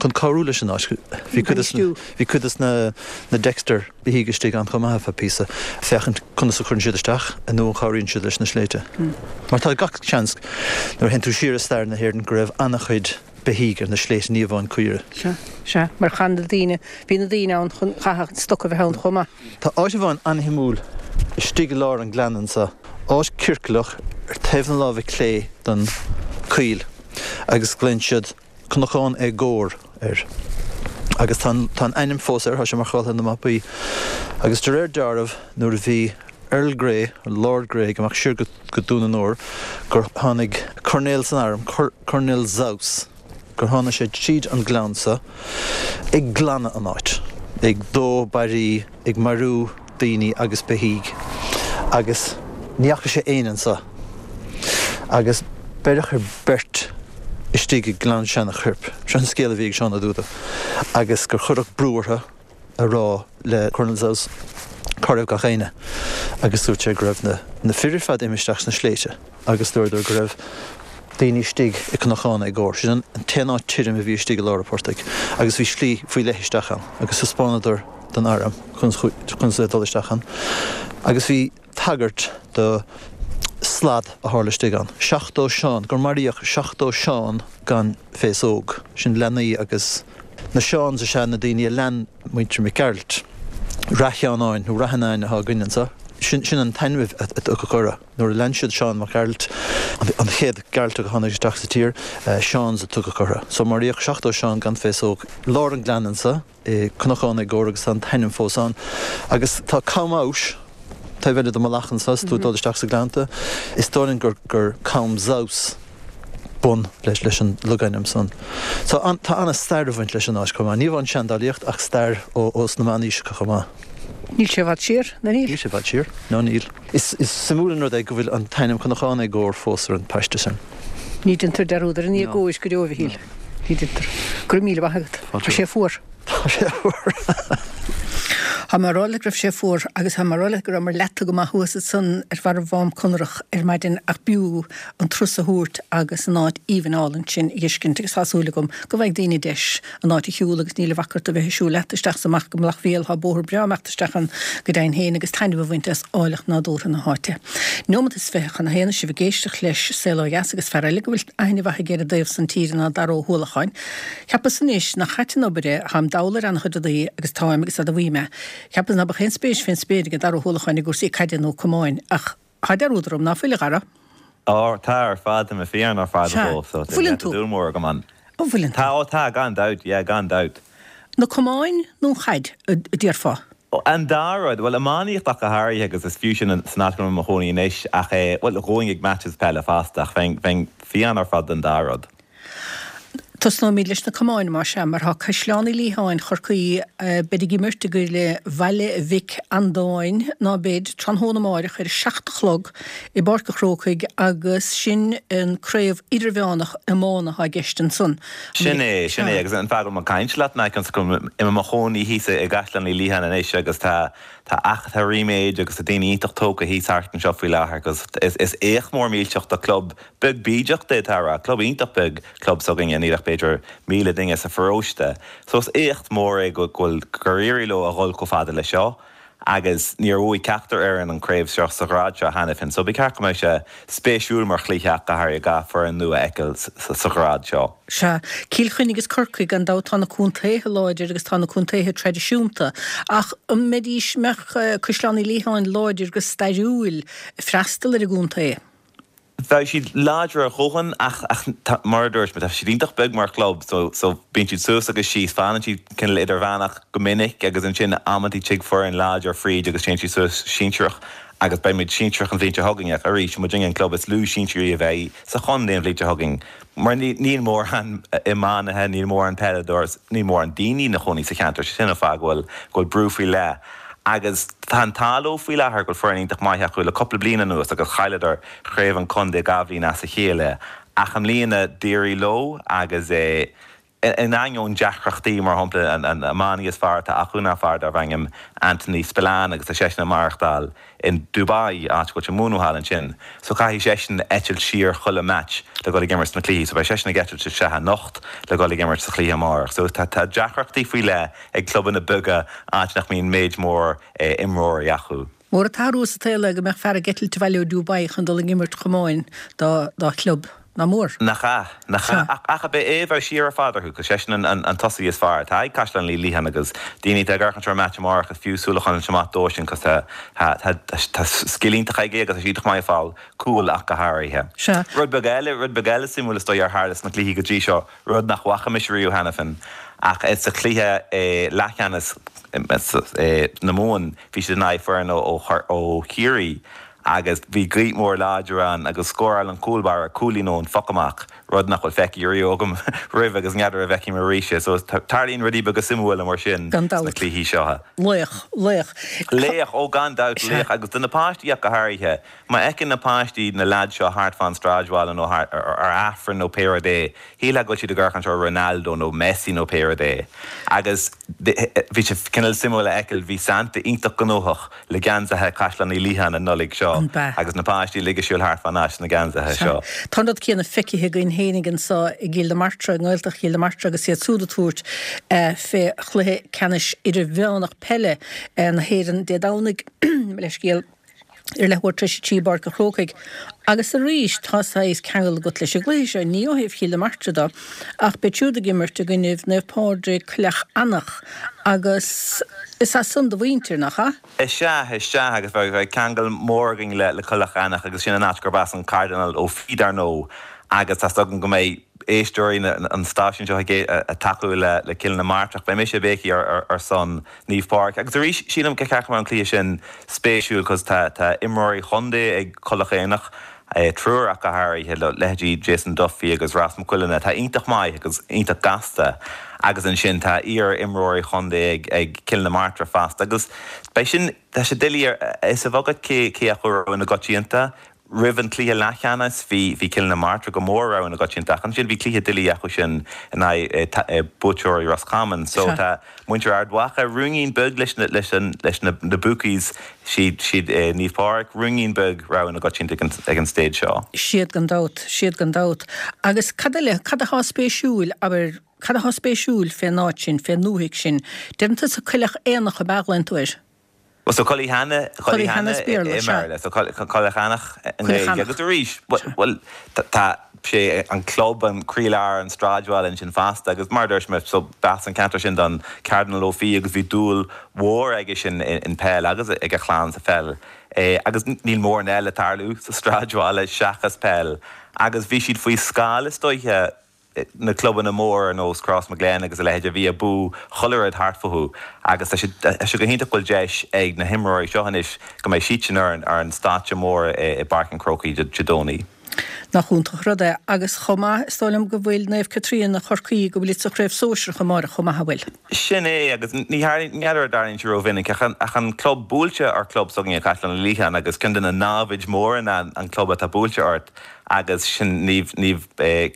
chun cabhrú leis an áit. Bhí cuid de bhí cuid de na na Dexter beithígh istigh ann chomh maith ar feadh píosa, féachaint conas a chuireann siad isteach nó an chabhraíonn siad leis na sléibhte. Mar tá gach seans nuair a théann tú siar i stair na hÉireann go raibh an-chuid beithígh ar na sléibhte, ní amháin caoire. Sea, sea, mar chan na daoine, bhí na daoine ann chun, chaithfeadh an stoc a bheith ann chomh maith. Tá áit amháin an-shuimiúil istigh i lár an ghleanna anseo, áit ciorclach ar taobh na láimhe clé den choill agus glaonn siad Cnocán Éagóir air. Agus tá an, tá an ainm fós air, tá sé marcáilte ar na mapaí. Agus de réir dealraimh nuair a bhí Earl Grey, Lord Grey, ag imeacht siar go, go Dún an Óir, gur tháinig coirnéal san arm, Coirnéal Zouws, gur tháinig sé tríd an gleann seo ag glanadh an áit, ag dó barraí, ag marú daoine agus beithígh agus ní fhaca sé éinne anseo. Agus beireadh ar beirt istigh i nGleann Seanachoirp. Seo an scéal a bhí ag Seán Ó Dúda. Agus gur cuireadh brú orthu a rá le Colonel Zouws cá raibh gach éinne agus dúirt sé go raibh na na fir ar fad imithe isteach sna sléibhte agus dúradar go raibh daoine istigh i gCnocán Éagóir. Sin an t-aon áit tirim a bhí istigh i lár an phortaigh agus bhí slí faoi leith isteach ann agus thaispeánadar don arm conas le dul isteach ann agus bhí tagairt do slad a tharla istigh ann. Seachtó Seán, gur maraíodh seachtó Seán gan féasóg. Sin leanaí agus na Seáns is ea na daoine a lean muintir Mac Gearailt. Rath Sheanáin nó Rath Annáin atá againn anseo. Sin sin an t-ainm a tugadh orthu. Nuair a lean siad Seán Mac Gearailt, an chéad Gearaltach a tháinig isteach sa tír, Seans a tugadh orthu. So maraíodh seachtó Seán gan féasóg i lár an ghleanna anso i Cnocán Éagóra agus tá an t-ainm fós ann. Agus tá Cam Abhais taobh eile de Mhullach anso is tú ag dul isteach sa Ghleannta. Is dóigh linn gur gur Cam's House bun leis leis an logainm san. So an, tá ana-stair ag baint leis an áit chomh maith. Ní amháin seandálaíocht ach stair ó ós na meánaoiseacha chomh maith. Níl sé i bhfad siar, nó níl? Níl sé i bhfad siar, ná níl. Is is suimiúil an rud é go bhfuil an t-ainm Cnocán Éagóir fós ar an bpaiste sin. Ní deintear dearúd ar an éagóir go deo, a Mhichíl. Ní deintear. Go raibh míle maith agat. Tá sé fuar. Tá sé fuar. Tá mé ag rá leat go raibh sé fuar agus tá mé ag rá leat go rabhamar leata go maith thuas ansan ar bharr Mhám Conrach ar maidin ach b'fhiú an turas a thabhairt agus an áit aoibhinn álainn sin a fheiscint agus tá súil agam go bhfaighidh daoine deis an áit a shiúl agus níl a bhac ort a bheith ag siúl leat isteach is amach go Mullach Mhíl, tá bóthar breá amach isteach ann go deimhin féin agus taitneamh a bhaint as áilleacht nádúrtha na háite. Neomat is fiche chun a haon sibh ag éisteacht leis Saol Ó Dheas agus fear eile go bhfuil aithne mhaith aige ar an dtaobh san tíre ná Dara Ó hUallacháin. Cheapas anois nach ait an obair é, táim dall ar an-chuid rudaí agus táim agus admhaím é. Cheapas ná beadh aon spéis fén spéir ag Dara Ó hUallacháin i gcúrsaí caide nó camáin, ach tá dearúd orm, ná fuil, a Dhara? Ó, tá ar fad, tá mé fiáin ar fad Sea. dhó, so tá Bhfuileann tú? dúil mór agam ann. Ó, bhfuileann tú? Tá, ó tá, gan dabht, yeah, gan dabht. Na camáin nó an chaid, a déarfá? Ó, an dá rud, bhuel, iománaíocht ach go háirithe agus is fiú sin san áit go bhfuil mé i mo chónaí anois, ach eh, bhuel, ghabhfainn ag matches peile fosta, ach bheinn, bheinn fiáin ar fad don dá rud. Tosnóimid leis na camáin, más ea, mar tá Caisleán Uí Liatháin Chorcaí, beid ag imirt i gcoinne Bhaile Mhic Andáin, ná beid, tráthnóna amáireach ar a seacht a chlog i bPáirc a' Chrócaigh agus sin an craobh idirmheánach iomána atá i gceist ansan. Sin é, sin é, agus an fáth go bhfuil mé ag caint leat ná cionn is go bhfuil mé i mo chónaí thíos i gCaisleán Uí Liatháin anois agus tá tá ach tá ríméad agus tá daoine iontach tógtha thíos thart anseo faoi láthair agus is is éacht mór millteach do chlub beag bídeach d'fhéadfá a rá, club iontach beag, club s'againne, níl ach b'fhéidir míle duine sa pharóiste. So is éacht mór é go bhfuil, gur éirigh leo a dhul chomh fada le seo agus níor bhuaigh ceachtar fhoireann an craobh seo sa ghrád seo cheana féin. So ba cheart go mbeadh sé spéisiúil mar chluiche ach go háirithe dhá foireann nua a fheiceáil sa ghrád seo. Sea, Cill Chainnigh agus Corcaigh, gan dabht tá na contaetha láidir agus tá na contaetha traidisiúnta ach an mbeidís, mbeadh Caisleán Uí Liatháin láidir go stairiúil freastal ar an gcontae? Bheadh siad láidir a dhóthain ach ach mar a dúirt mé, tá siad iontach beag mar chlub so so bíonn siad suas agus síos, fanann siad cineál idirmheánach go minic agus ansin amantaí tig foireann láidir fríd agus téann siad suas sinsearach agus beidh muid sinsearach an bhliain seo chugainn ach arís muidinne an club is lú sinsearaí a bheidh sa chontae an bhliain seo chugainn mar níl mórán iománaithe, níl mórán peileadóirí, níl mórán daoine ina chónaí sa cheantar, sin an fáth go bhfuil go bhfuil brú faoi leith Agus tá an t-ádh leo faoi láthair go bhfuil foireann iontach maith acu le cúpla bliain anuas agus chailleadar craobh an chontae dhá bhliain as a chéile ach i mbliana d'éirigh leo agus in ainneoin deacrachtaí, mar shampla an iománaí is fearr atá acu ná fear darbh ainm Anthony Spillane agus tá seisean ag maireachtáil in Dubai, áit go bhfuil sé ag múineadh thall ansin. So caithfidh seisean eitilt siar chuile match le dhul ag imirt sna cluichí. So beidh seisean ag eitilt isteach anocht le dhul ag imirt sa chluiche amárach. So tá tá deacrachtaí faoi leith ag clubanna beaga áit nach mbíonn méid mór imreoirí acu. Mór an t-athrú sa tsaol é go mbeadh fear ag eitilt abhaile ó Dubai chun dul ag imirt camáin dá dá chlub. Nach mór? Nach ea? Nach ea? Ach ach ab é é bheadh siar ar fad orthu, 'cause seisean an an an tosaí is fearr atá ag Caisleán Uí Liatháin agus daoine atá ag amharc ar an match amárach is fiú súil a choinneáil amach dó sin 'cause tá tá tá tá scil iontach aige agus tá sé iontach maith ag fáil cúil ach go háirithe. Sea. Rud beag eile, rud beag eile suimiúil is dóigh ar tharla sna cluichí go dtí seo, rud nach bhfaca mise riamh cheana féin ach sa chluiche leathcheannais na Mumhan bhí siad in aghaidh foireann ó ó Chiarraí agus bhí gaoth mhór láidir ann agus scóráil an cúl báire cúilín ón phoc amach, rud nach bhfuil feicthe riamh agam roimh agus n'fheadar an bhfeicfidh mé arís é. So tarlaíonn rudaí beaga suimiúla mar sin Gan sna dabht. cluichí seo. Laoch, laoch. Laoch, ó gan dabht, Sea. laoch agus do na páistí ach go háirithe. Má fheiceann na páistí na leaids seo thart fán sráidbhaile nó thart ar Aifreann nó pé rud é, shílfeá go bhfuil siad ag amharc ar Ronaldo nó Messi nó pé rud é. Agus bhí sé cineál suimiúil a fheiceáil, bhí Santa iontach gnóthach le geansaithe Chaisleán Uí Liatháin an Nollaig seo An b'ea? agus na páistí uilig ag siúl thart fán áit sna geansaithe seo. Tá an rud céanna feicthe againn fhéinig anso i gCill na Martra, i nGaeltacht Chill na Martra agus iad súd ag tabhairt fé chluiche ceannais idirmheánach peile na hÉireann Dé Domhnaigh. Mo leithscéal. Ar leathuair tar éis a trí i bPáirc an Chrócaigh. Agus arís tá saghas ceangal agat leis an gcluiche seo, ní ó thaobh Chill na Martra de, ach beid siúd ag imirt i gcoinnibh Naomh Pádraig Coilleach Eanach agus is as san do mhuintir, nach ea? Is ea, is ea, agus bheadh ceangal mór againn le Coilleach Eanach agus sin an áit gurb as an Cardinal Ó Fiaich dar ndóigh agus tá's agam go mbeidh éisteoirí an stáisiúin seo ag tacú le Cill na Martra ach beidh mise béicigh ar son Naomh Pádraig. Agus arís, sílim go ceart go mbeadh an cluiche sin spéisiúil cos tá tá imreoirí chontae ag Coilleach Eanach, triúr ach go háirithe, leithéidí Jason Duffy agus Ross McQuillan atá iontach maith agus iontach gasta agus ansin tá iar-imreoirí chontae ag ag Cill na Martra fosta agus beidh sin, tá sé doiligh a fhios agat cé cé acu rogha na gcoitianta. Roimh an cluiche leathcheannais bhí bhí Cill na Martra go mór rogha na gcoitianta ach ansin bhí cluiche doiligh acu sin in aghaidh buaiteoirí Roscommon. So tá muintir Ard Mhacha ruainnín beag leis na leis an leis na na bookies siad siad Naomh Pádraig ruainnín beag rogha na gcoitianta ag an ag an stage seo. Siad gan dabht, siad gan dabht. Agus cad eile, cad atá spéisiúil, abair, cad atá spéisiúil fén áit sin, fén ndúthaigh sin? Deireann tusa Coilleach Éanach ab ea a ghlaonn tú air? Well so Cullyhanna, Cullyhanna is Béarla, i mBéarla, so Coilleach Eanach i nGaeilge. Agus arís, bhuel, tá sé an club, an croílár an sráidbhaile ansin fosta agus mar a dúirt mé, so b'as an ceantar sin don Cardinal Ó Fiaich agus bhí dúil mhór aige sin in peil agus ag a chlann sa pheil. Agus níl mórán eile ag tarlú sa sráidbhaile seachas peil agus bhí siad faoi scáth is dóiche na clubanna móra ar nós Crossmaglen agus a leithéid a bhí ag buachan chuile rud thart fúthu agus tá sé tá sé go hiontach go bhfuil deis ag na himreoirí seo anois go mbeidh siadsan ar an ar an stáitse mór i bPáirc an Chrócaigh Dé Domhnaigh. Nach iontach an rud é agus chomh maith is dóigh liom go bhfuil Naomh Caitríona Chorcaí go bhfuil siad sa chraobh sóisearach amárach chomh maith an bhfuil? Sin é agus ní tharlaíonn ní fheadar an dtarlaíonn sé rómhinic ach an ach an club buailte ar chlub s'againne Caisleán Uí Liatháin agus ceann de na námhaid mhóra ná an club atá buailte ort agus sin Naomh Naomh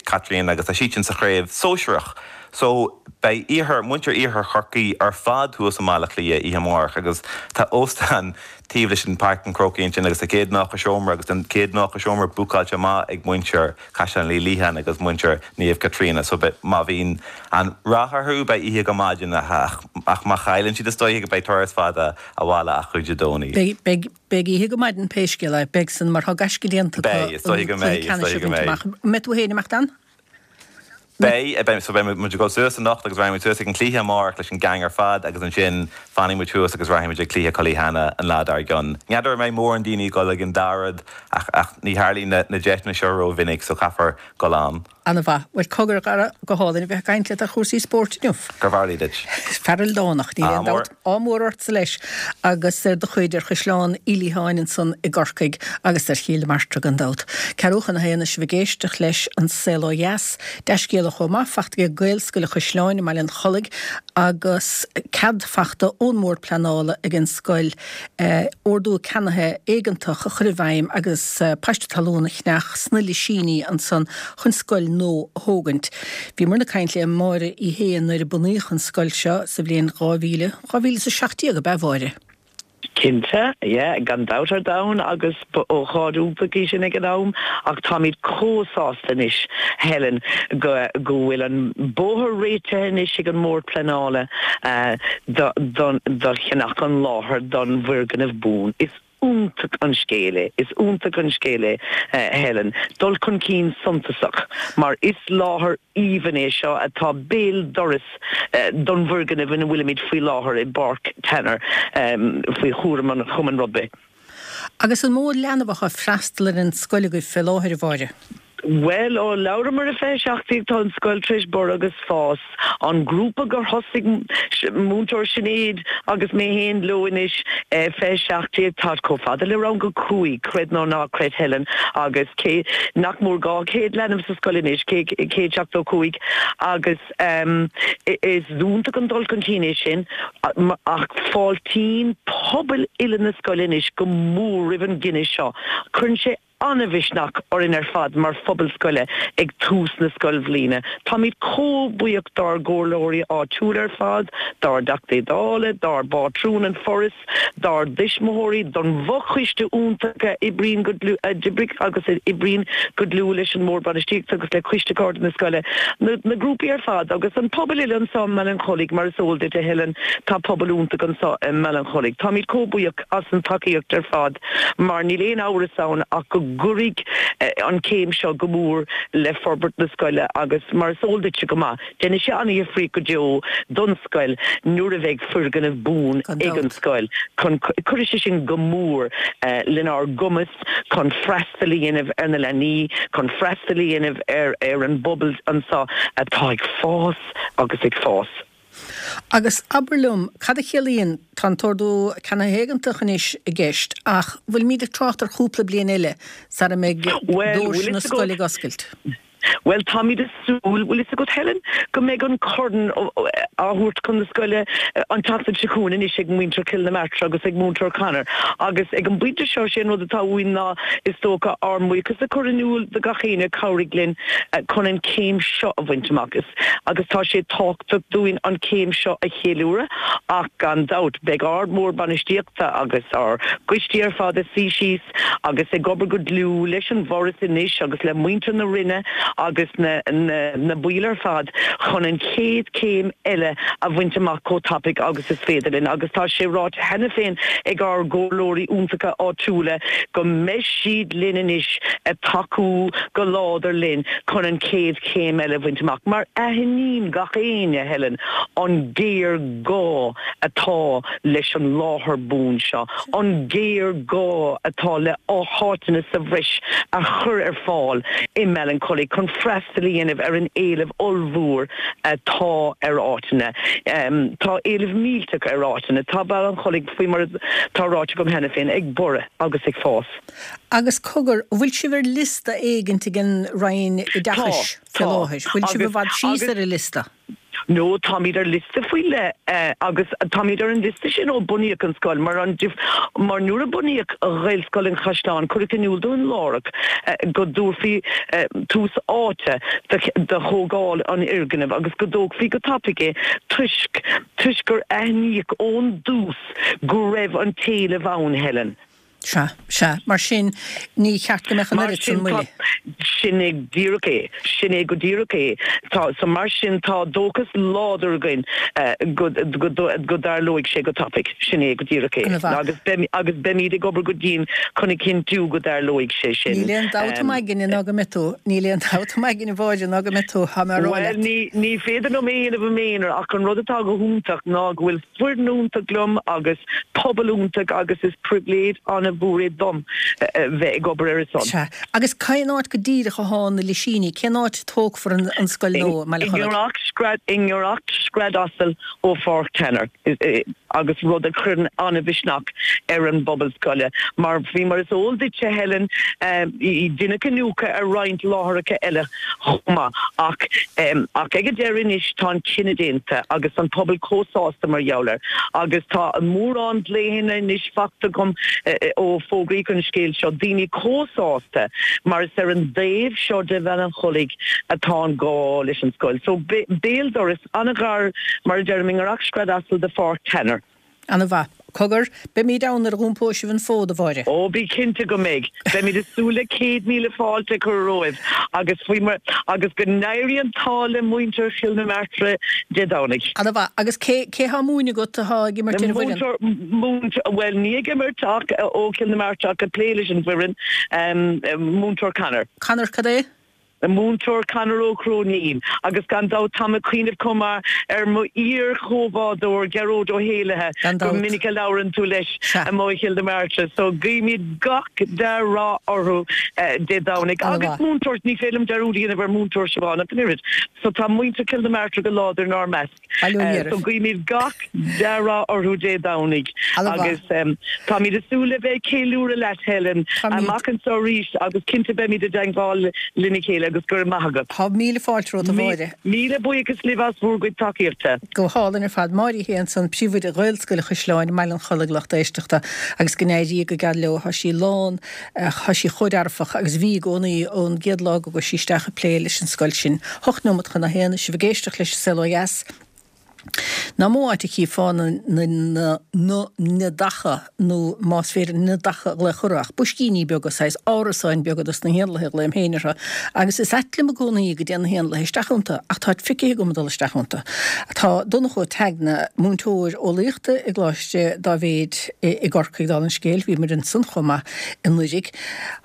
Caitríona agus tá siadsan sa chraobh sóisearach. So beidh iarthar, muintir iarthar Chorcaí ar fad thuas i mBaile Átha Cliath oíche amárach agus tá óstán taobh leis an Páirc an Chrócaigh ansin agus tá céad nócha seomra agus tá an céad nócha seomra bookáilte amach ag muintir Chaisleán Uí Liatháin agus muintir Naomh Caitríona. So beidh, má bhíonn an rath orthu beidh oíche go maidin ach ach má chailleann siad is dóiche go beidh turas fada abhaile acu Dé Domhnaigh. Beidh, beidh. Beidh oíche go maidin pé scéal é, beidh san mar tá gaisce déanta acu Beidh, is dóiche an go cluiche mbeidh, is ceannais dóiche a go bhaint mbeidh. amach. An mbeidh tú féin ag imeacht ann? Beidh, beidh, so beidh muid ag dul suas anocht agus raghaidh muid suas ag an cluiche amárach leis an gang ar fad agus ansin fanfaidh muid thuas agus raghaidh muid ag cluiche Cullyhanna an lá dár gcionn. N'fheadar an mbeidh mórán daoine ag dul ag an dá rud ach, ach ní tharlaíonn na, na deiseanna seo rómhinic so caithfear dul ann. Ana mhaith. Bhuel, cogar, a Dhara, go hálainn a bheith ag caint leat ar chúrsaí spóirt inniu. Gurbh amhlaidh duit. Fear ildánach, níl Ádh aon mór. dabht. Ádh mór ortsa leis agus ar do chuid, ar Chaisleán Uí Liatháin ansan i gCorcaigh agus ar Chill na Martra gan dabht. Ceathrú chun a haon is sibh ag éisteacht leis An Saol Ó Dheas. Dea-scéala chomh maith fachta ag Gaelscoil an Chaisleáin i mBaile an Chollaigh agus cead fachta ón mBord Pleanála ag an scoil ordú ceannaithe éigeantach a chur i bhfeidhm agus paiste talún a cheannach sna Lisíní ansan chun scoil nua a thógaint. Bhíomar ag caint le Máire Uí Shé nuair a bunaíodh an scoil seo sa bhliain dhá mhíle, dhá mhíle is a seacht déag ab ea, a Mháire? Cinnte, yeah, gan dabht ar domhan agus ba ócáid iontach í sin ag an am ach táimid chomh sásta anois, Helen, go go bhfuil an bóthar réitithe anois ag an mBord Pleanála do do cheannach an láthair don bhfoirgneamh buan. Is iontach an scéal é, is iontach an scéal é, Helen. Dul chun cinn suntasach mar is láthair aoibhinn é seo atá béal dorais don bhfoirgneamh ina bhfuilimid faoi láthair i bPáirc Tanner faoi chúram an Chumainn Rugbaí. Agus an mó leanbh atá ag freastal ar an scoil agaibh fé láthair, a Mháire? Bhuel, ó labhramar i fiche seacht déag tá an scoil tar éis borradh agus fás. An grúpa gur thosaigh Múinteoir Sinéad agus mé féin leo anois fiche seacht déag, táid chomh fada le rang a cúig, creid nó ná creid Helen, agus cé nach mór dhá chéad leanbh sa scoil anois, céad seachtó cúig, agus is iontach an dul chun cinn é sin ach fáiltíonn pobal uile na scoile anois go mór roimh an gcinneadh seo. Cuireann sé an-mhisneach orainn ar fad mar phobal scoile ag tús na scoilbhliana. Táimid chomh buíoch dár gcomhairleoirí áitiúla ar fad, dár dTeachtaí Dála, dár bpátrún an Foras, dár dtuismitheoirí, don bhfochoiste iontach a oibríonn go dlúth, a d'oibrigh agus a oibríonn go dlúth leis an mBord Bainistíochta agus le Coiste Cairde na Scoile, na na grúpaí ar fad agus an pobal uile anseo i mBaile an Chollaigh, mar is eol duit, a Helen, tá pobal iontach anseo i mBaile an Chollaigh. Táimid chomh buíoch as an tacaíocht ar fad mar níl aon amhras ann ach go gcuirfidh an chéim seo go mór le forbairt na scoile agus mar is eol duitse go maith, déanfaidh sé an-dhifríocht go deo don scoil nuair a bheidh foirgneamh buan ag an scoil chun cuirfidh sé sin go mór lenár gcumas chun freastal a dhéanamh ar na leanaí, chun freastal a dhéanamh ar ar an bpobal anseo atá ag fás agus ag fás. Agus abair liom, cad a chiallaíonn, tá an t-ordú ceannaithe éigeantach anois i gceist, ach bhfuilimid ag trácht ar chúpla bliain eile sara mbeidh doirse na scoile ag oscailt? Bhuel, táimid ag súil, bhfuil fhios agat Helen, go mbeidh an corn á thabhairt chun na scoile an tseachtain seo chugainn anois ag muintir Chill na Martra agus ag Múinteoir Conor agus ag an bpointe seo sé an rud atá uainn ná is dócha ár mbuíochas a chur in iúl do gach éinne a chabhraigh linn chun an chéim seo a bhaint amach. Is agus tá sé tábhachtach dúinn an chéim seo a cheiliúradh ach gan dabht beidh ár mBord Bainistíochta agus ár gcoistí ar fad ag suí síos agus ag obair go dlúth leis an bhForas anois agus le muintir na Roinne agus na na baill ar fad chun an chéad chéim eile a bhaint amach chomh tapaidh agus is féidir linn agus tá sé ráite cheana féin ag ár gcomhairleoirí iontacha áitiúla go mbeidh siad linn anois ag tacú go láidir linn chun an chéad chéim eile a bhaint amach mar aithníonn gach éinne, Helen, an géarghá atá leis an láthair buan seo, an géarghá atá le háiteanna sa bhreis a chur ar fáil i mBaile an Chollaigh chun freastal a dhéanamh ar an éileamh ollmhór atá ar áiteanna. Tá éileamh millteach ar áiteanna. Tá Baile an Chollaigh, faoi mar atá ráite agam cheana féin, ag borradh agus ag fás. Agus cogar, an bhfuil sibh ar liosta éigint ag an Roinn Oideachais faoi láthair? Bhfuil sibh i bhfad síos ar an liosta? No, táimid ar liosta faoi leith agus táimid ar an liosta sin ó bunaíodh an scoil mar an mar nuair a bunaíodh Ghaelscoil an Chaisleáin cuireadh in iúl dúinn láithreach go dtabharfaí tús áite do thógáil an fhoirgnimh agus go dtógfaí go tapaidh é toisc toisc gur aithníodh ón dtús go raibh an t-éileamh ann, Helen. Sea, sea. Mar sin, ní cheart go mbeadh an oiread sin moille. Sin é díreach é. Sin é go díreach é. Tá, so mar sin, tá dóchas láidir againn go, go, go dtarlóidh sé go tapaidh. Sin é go díreach é. Agus beimid, agus beimid ag obair go dian chun a chinntiú go dtarlóidh sé sin. Níl aon dabht im aigne ná go mbeidh tú. Níl aon dabht im aigne, a Mháire, ná go mbeidh tú. Tá mé á rá leat. Bhuel, ní, ní féidir liom é a dhéanamh i m'aonar ach an rud atá go hiontach ná go bhfuil foireann iontach liom agus pobal iontach agus is pribhléid an-mhór é dom bheith ag obair ar a son. Sea. Agus cén áit go díreach athá na Lisíní? Cén áit a tógfar an scoil nua i mBaile an Chollaigh? I ngiorracht scread asail ó Pháirc Tanner agus rud a chuireann an-mhisneach ar an bpobal scoile mar faoi mar is eol duitse Helen deineadh iniúchadh ar roinnt láithreacha eile chomh maith. Ach ach ag an deireadh anois tá an cinneadh déanta agus an pobal chomh sásta mar gheall air. Agus tá mórán glaochanna anois faighte agam ó fógraíodh an scéal seo, daoine chomh sásta mar is ar an dtaobh seo de Bhaile an Chollaigh atá an gá leis an scoil. So béal dorais an-ghar mar a deirim i ngiorracht scread asail de Pháirc Tanner. Ana-mhaith. Cogar, beimid ann nuair a dh'iompóidh sibh an fód, a Mháire. Ó, bí cinnte go mbeidh. Beimid ag súil le céad míle fáilte a chur romhaibh agus faoi mar, agus go n-éirí an t-ádh le muintir Chill na Martra Dé Domhnaigh. Ana-mhaith. Agus cé, cé thá ag múineadh agat athá ag imirt ar an bhfoireann? Múinteoir, múinteoir, bhuel ní ag imirt ach ó Chill na Martra ach ag plé leis an bhfoireann, Múinteoir Conor. Conor cad é? Múinteoir Conor Ó Cróinín, agus gan dabht táim ag cuimhneamh chomh maith ar mo iar-chomhbhádóir Gearóid Ó hÉallaithe, Gan go dabht. minic a labhrann tú leis Sea. amuigh i Chill na Martra. So guímid gach dea-rath orthu Dé Domhnaigh. Ana Agus mhaith. múinteoir, ní féidir liom dearúd a dhéanamh ar Mhúinteoir Siobhán ach an oiread. So tá muintir Chill na Martra go láidir inár measc. Bail ó Dhia So oraibh. guímid gach dea-rath orthu Dé Domhnaigh Ana mhaith. agus táimid ag súil le bheith ag ceiliúradh leat Helen Táimid. amach anseo arís agus cinnte beimid i dteagmháil lena chéile. agus go raibh maith agat. Tá míle fáilte romhat, a Mháire. Míle buíochas libh as bhur gcuid tacaíochta. Go hálainn ar fad. Máire Uí Shé ansan, Príomhoide Ghaelscoil Chaisleáin i mBaile an Chollaigh, lucht éisteachta, agus go n-éirí go geal leo. Tá sí lán, tá sí chomh dearfach agus bhí i gcónaí ón gcéad lá go gcuaigh sí isteach ag plé leis an scoil sin. Hocht nóimeat chun a haon, sibh ag éisteacht leis An Saol Ó Dheas. Nach mó áit a chífeá na na neadacha nó más féidir neadacha a ghlaoch orthu ach boiscíní beaga, saghas árasáin beaga dos na héanlaithe a ghlaoim féin orthu agus is ait liom i gcónaí go dtéann na héanlaithe isteach iontu ach táid feicthe agam ag dul isteach iontu. Tá Donncha Ó Teagna, múinteoir eolaíochta i gColáiste Dáibhéid i gCorcaigh dála an scéil, bhíomar ansan chomh maith anuraidh.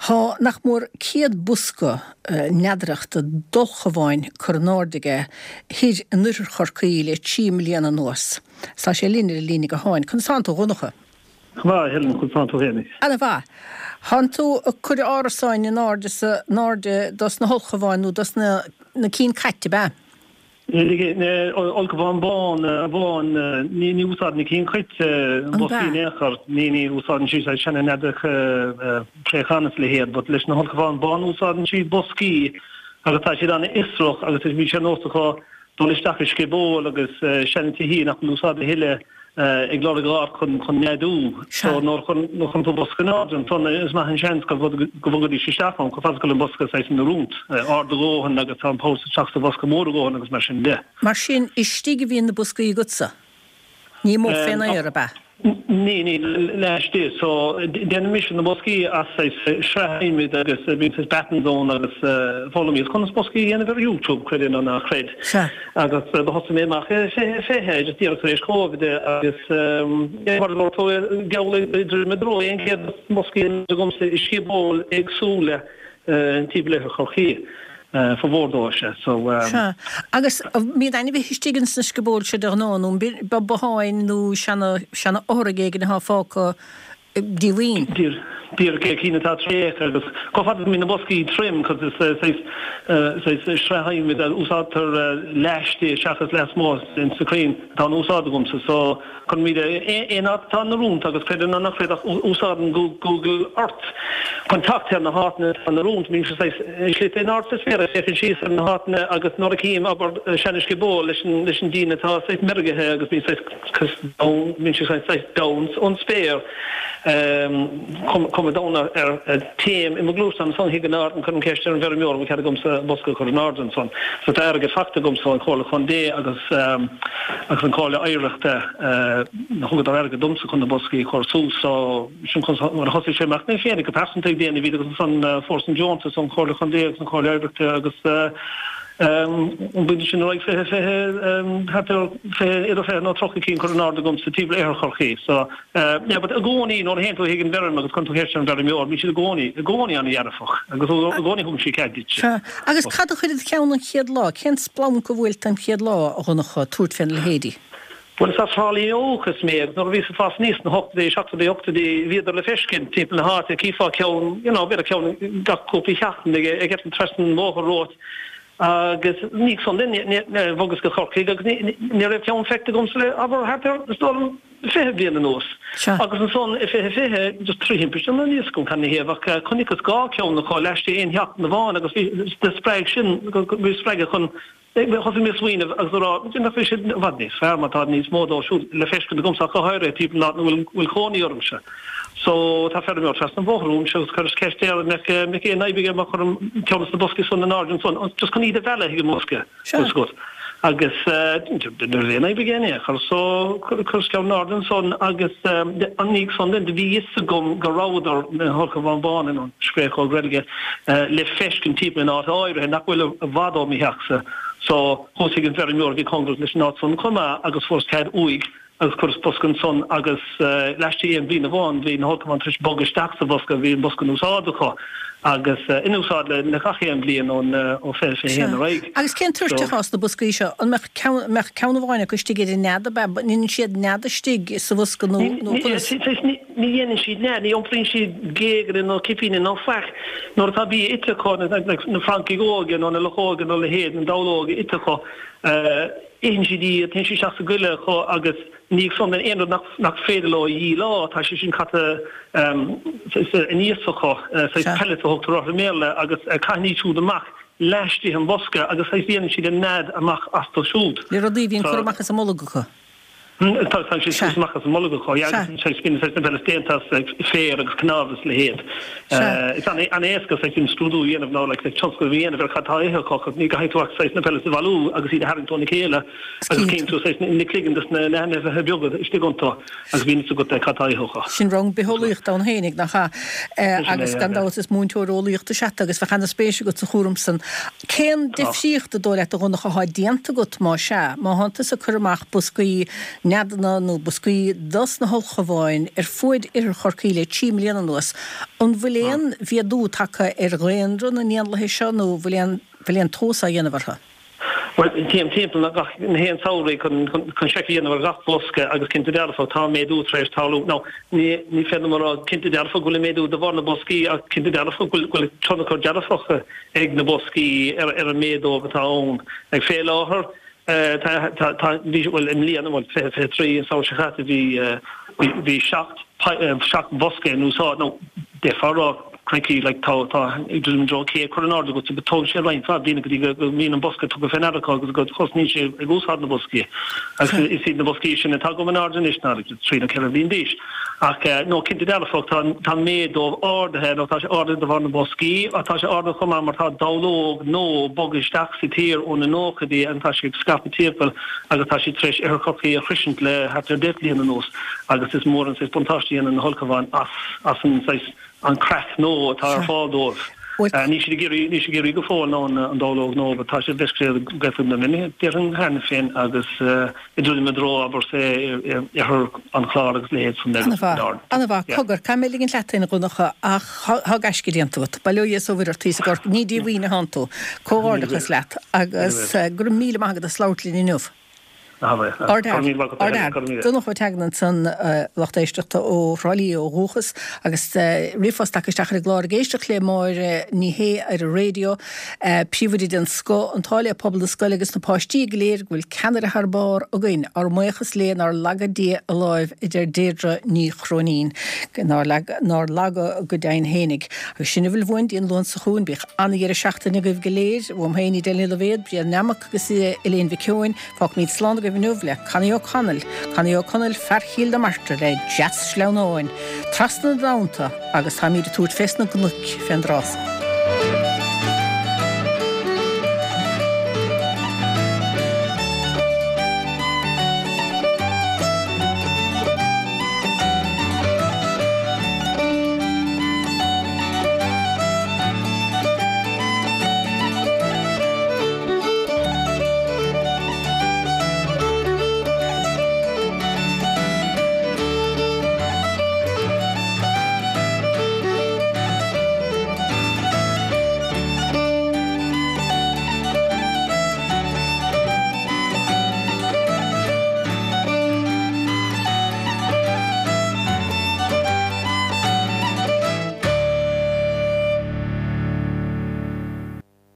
Tá nach mór céad bosca neadaireachta d'ulchabháin curtha in airde aige thoir in oirthear Chorcaí le trí mbliana anuas. Tá sé linn ar an líne gutháin. Conas tánn tú, a Dhonncha? Go maith, a Helen, conas tánn tú féinig? Ana mhaith. Thánn tú ag cur árasáin in airde sa, in airde dos na hulchabháin nó dos na, na cinn cait, ab ea? Ulchabhán bán amháin, ní úsáideann na cinn chait boscaí in aon chor, ní úsáideann siad saghas seana neadacha préachán is a leithéid, but leis na hulchabháin bán úsáideann siad boscaí agus tá siad an-fhiosrach agus bhí sé nós acu dul isteach i sciobóil agus seana tithí nach bhfuil in úsáid a thuilleadh ag lorg áit chun chun neadú. So nuair a chuireann tú bosca in airde ansan is maith an seans go bhfogaidís isteach ann chomh fada is go bhfuil an bosca saghas in oiriúint, ard a dhóthain agus tá an poll isteach sa bhosca mór a dhóthain agus mar sin de. Mar sin istigh a bhíonn na boscaí agatsa? Ní amuigh fén aer, ab ea? Ní, ní, laistigh. So déanann mise na boscaí as saghas sraith adhmaid agus bíonn saghas battens ann agus foghlaimíos conas boscaí a dhéanamh ar YouTube, creid é nó ná creid. Sea. Agus do thosaigh mé amach i fiche fiche, just díreach tar éis Covid agus yeah mar a dúirt tú, geall le druidim i dtreo aon chéad boscaí agamsa i sciobóil éagsúla timpeall oirthear Chorcaí. Formhór dóibh, sea. So. Sea. Agus mbíonn ainmhithe istigh ins na sciobóil seo de ghnáth, nó an botháin nó seana, seana fhothraigh éigin atá fágtha díomhaoin? Díreach é, cinn atá tréigthe agus chomh fada is go mbíonn na boscaí tirim, cos is saghas, saghas sraith adhmaid a úsáidtear laistigh seachas lasmuigh ins na crainn atá in úsáid agamsa. So. Cuirimid aon áit atá in oiriúint agus creid é nó ná creid ach úsáidim Google Earth chun teacht ar na háiteanna atá in oiriúint. Bímse saghas slite in airde sa spéir ag féachaint síos ar na háiteanna agus nuair a chím, abair, seana-sciobóil leis an leis an díon atá saghas meirgithe agus bíonn saghas down bíonn sé saghas down ón spéir cuma down air téim i mo ghluaisteán ansan chuig an áit and cuirim ceist ar an bhfeirmeoir an bhfuil cead agamsa bosca a chur in airde ansan. So tá airgead faighte agamsa ón Chomhairle Contae agus agus an Chomhairle Oidhreachta thugadar airgead domsa chun na boscaí a chur suas so sin nuair a thosaigh sé amach mé féinig go pearsanta ag déanamh iad agus ansan fuaireas an deontas ón Chomhairle Chontae agus an Chomhairle Oidhreachta agus ón bpointe sin ar aghaidh fiche fiche thart ar fiche idir fiche nó tríocha cinn curtha in airde agamsa timpeall oirthear Chorcaí so yeah but i gcónaí nuair a théann tú chuig an bhfeirm agus cuireann tú ceist ar an bhfeirmeoir bíonn siad i gcónaí i gcónaí an-dhearfach agus i gcónaí thugann siad cead duit. Sea. Agus cad a chuir i do cheann an chéad lá? Cén splanc a bhuail tú an chéad lá, a Dhonncha, tabhairt féna leithéidí? Bhuel, is as Trá Lí ó dhúchas mé agus nuair a bhíos ag fás aníos sna hochtóidí, seachtóidí, ochtóidí, bhíodar le feiscint timpeall na háite, chífeá ceann, you know, b'fhéidir ceann gach cúpla seachtain ag eitilt trasna an bhóthair romhat agus ní san duine, bhogas go Corcaigh agus ní raibh ceann feicthe agamsa le, abair, thart ar, is dóigh liom, fiche bliain anuas. Agus ansan i fiche fiche, just trí thimpiste, níl a fhios agam cad ina thaobh ach chonaiceas dhá cheann acu laistigh aon sheachtain amháin agus bhí, do spreag sin, bhí spreagadh chun, thosaigh mé ag smaoineamh agus a rá, nach bhfuil sé i bhfad níos fearr má tá níos mó dóibh siúd le feiscint agamsa ach go háirithe timpeall an áit ina bhfuil, bhfuil cónaí ormsa. So tá feirmeoir trasna an bhóthair uaimse agus chuireas ceist air an mbeadh, mbeadh aon fhadhb aige má chuirim ceann de na boscaí san in airde ansan, just chun iad a mhealladh chuig an mbosca. Sea. Agus ní raibh aon fhadhb aige in aon chor so chuireas ceann in airde ansan agus an ndiaidh san then do bhí fhios agam go rabhadar, na hulchabháin bhána nó scréachóg reilige, le feiscint timpeall in áit áirithe nach bhfuil i bhfad ó mo theachsa so chuas chuig an bhfeirmeoir a bhí cóngarach leis an áit san chomh maith agus fuaireas cead uaidh agus chuireas bosca ansan agus laistigh aon bhliain amháin bhí na hulchabháin tar éis bogadh isteach sa bhosca, bhí an bosca in úsáid acu agus in úsáid le le gach aon bhliain ón ó fiche fiche haon ar aghaidh. Agus cén toirt atá sna boscaí seo? An mbeadh ceann, an mbeadh ceann amháin acu istigh ar an nead ab ea? An ndéanann siad nead istigh sa bhosca nó nó conas? Ní dhéanann siad nead, ní iompraíonn siad géaganna nó cipíní nó faic. Nuair atá bia ite acu, na francaigh óga nó na luchóga nó a leithéid, na dallóga ite acu, Itheann siad iad, téann siad isteach sa gcoillidh acu agus ina dhiaidh san aon rud nach féidir leo a dhíleá, tá sé sin caite aníos acu, saghas pellets a thugtar orthu i mBéarla, agus caitheann iad siúd amach. laistigh den bhosca agus saghas déanann siad a nead amach astu siúd. Le rudaí a bhíonn curtha amach as a mbolg acu. Tá tá sé suas amach as a mbolg acu, yeah, agus saghas bíonn saghas na peile déanta as like féar agus cnámh is a leithéid. Is an-éasca saghas imscrúdú a dhéanamh nó like tionscnamh a dhéanamh ar cad tá á ithe acu ach ní gcaithfidh tú ach saghas na peile a bhailiú agus iad a tharraingt óna chéile agus cíonn tú saghas na cloigeann dos na hainmhithe beaga istigh iontu agus bíonn fhios agat cad tá á ithe acu. Sin rang bitheolaíochta ann fhéinig, nach ea? Agus gan dabht is múinteoir eolaíochta is ea tú agus bheadh ana-spéis agat sa chúram san. Cén difríocht an dóigh leat a Dhonncha athá déanta agat más ea, má thánn tusa ag cur amach boscaí neadanna nó boscaí dos na hulchabháin ar fuaid Oirthear Chorcaí le trí mbliana anuas, an bhfuil aon mhéadú tagtha ar dhaonra na n-éanlaithe seo nó bhfuil aon bhfuil aon tomhas á dhéanamh orthu? Bhuel, téim timpeall gach aon samhradh chun chun seic a dhéanamh ar gach bosca agus cinnte dearfa tá méadú tar éis tarlú. Now, ní ní féidir liom a rá cinnte dearfa go bhfuil an méadú de bharr na boscaí ach cinnte dearfa go bhfuil go bhfuil tionchar dearfach ag na boscaí ar ar an méadú atá ann. Ag fé láthair, Tá, tá, tá, bhí, bhuel, i mbliana, bhuel, fiche, fiche trí, an samhradh seo caite, bhí, bhí, bhí seacht, seacht bhosca in úsáid, nó d'fhéadfá a rá, crikey, like, tá, tá, i dtreo céad curtha in airde agat, but tógann sé roinnt mhaith bliana go dtí go, go mbíonn an bosca tugtha fé ndeara acu agus go dtosnaíonn sé ag úsáid na boscaí. Agus is iad na boscaí sin atá agam in airde anois ná, like, trí nó ceithre bhliain d'aois. Ach, no, cinnte dearfach, tá, tá an méid dóibh ardaithe, nó tá sé ardaithe de bharr na mboscaí, ach tá sé ardaithe chomh maith mar tá dallóg nua bogtha isteach sa tír ó na nóchaidí agus tá sé ag scaipeadh timpeall agus tá sé tar éis Oirthear Chorcaí a shroisint le thart ar deich bliana anuas agus is mór an saghas buntáiste a dhéanann na hulchabháin as, as an saghas, an craic nua atá ar fáil dóibh. Níl siad ag iarraidh, níl siad ag iarraidh go fóill ná an dallóg nua, but tá siad bheith gafa na mine, déarfainn, cheana féin agus ag druidim i dtreo, abair, say, oirthear an Chláir agus leithéid san agus An-mhaith, an-mhaith. Cogar, caithfidh mé ligint leat féin, a Dhonncha, ach tá gaisce déanta agat. Bail ó Dhia is ó Mhuire ort thíos i gCorcaigh. Ní díomhaoin athánn tú. Comhghairdeachas leat agus go raibh míle maith agat as labhairt linn inniu. Ardfhear. Donncha Ó Teagnáin ansan, lucht éisteachta ó Thrá Lí ó dhúchas agus ríomhphost tagtha isteach ar an gclár ag éisteacht le Máire Ní Shé ar an raidió, príomhoide den scoth, an t-ádh le pobal na scoile agus na páistí go léir go bhfuil ceannaire thar barr againn. Ár mbuíochas léi nár laga Dia a láimh a deir Deirdre Ní Chróinín. Nár nár laga go deimhin fhéinig. Agus sin a bhfuil uainn dtí an Luan seo chugainn. Bíodh an-dheireadh seachtaine agaibh go léir. Uaim féin Edel Ní Loibhéad, Brian Nammock agus Elaine Mhic Eoin. Fágfaimid slán agaibh inniu le Connie O'Connell, Connie O'Connell, fear Chill na Martra le Dreas Sleamhnáin, trasna na dtonnta agus táimid ag tabhairt fés na gcnoic fén dtráth so.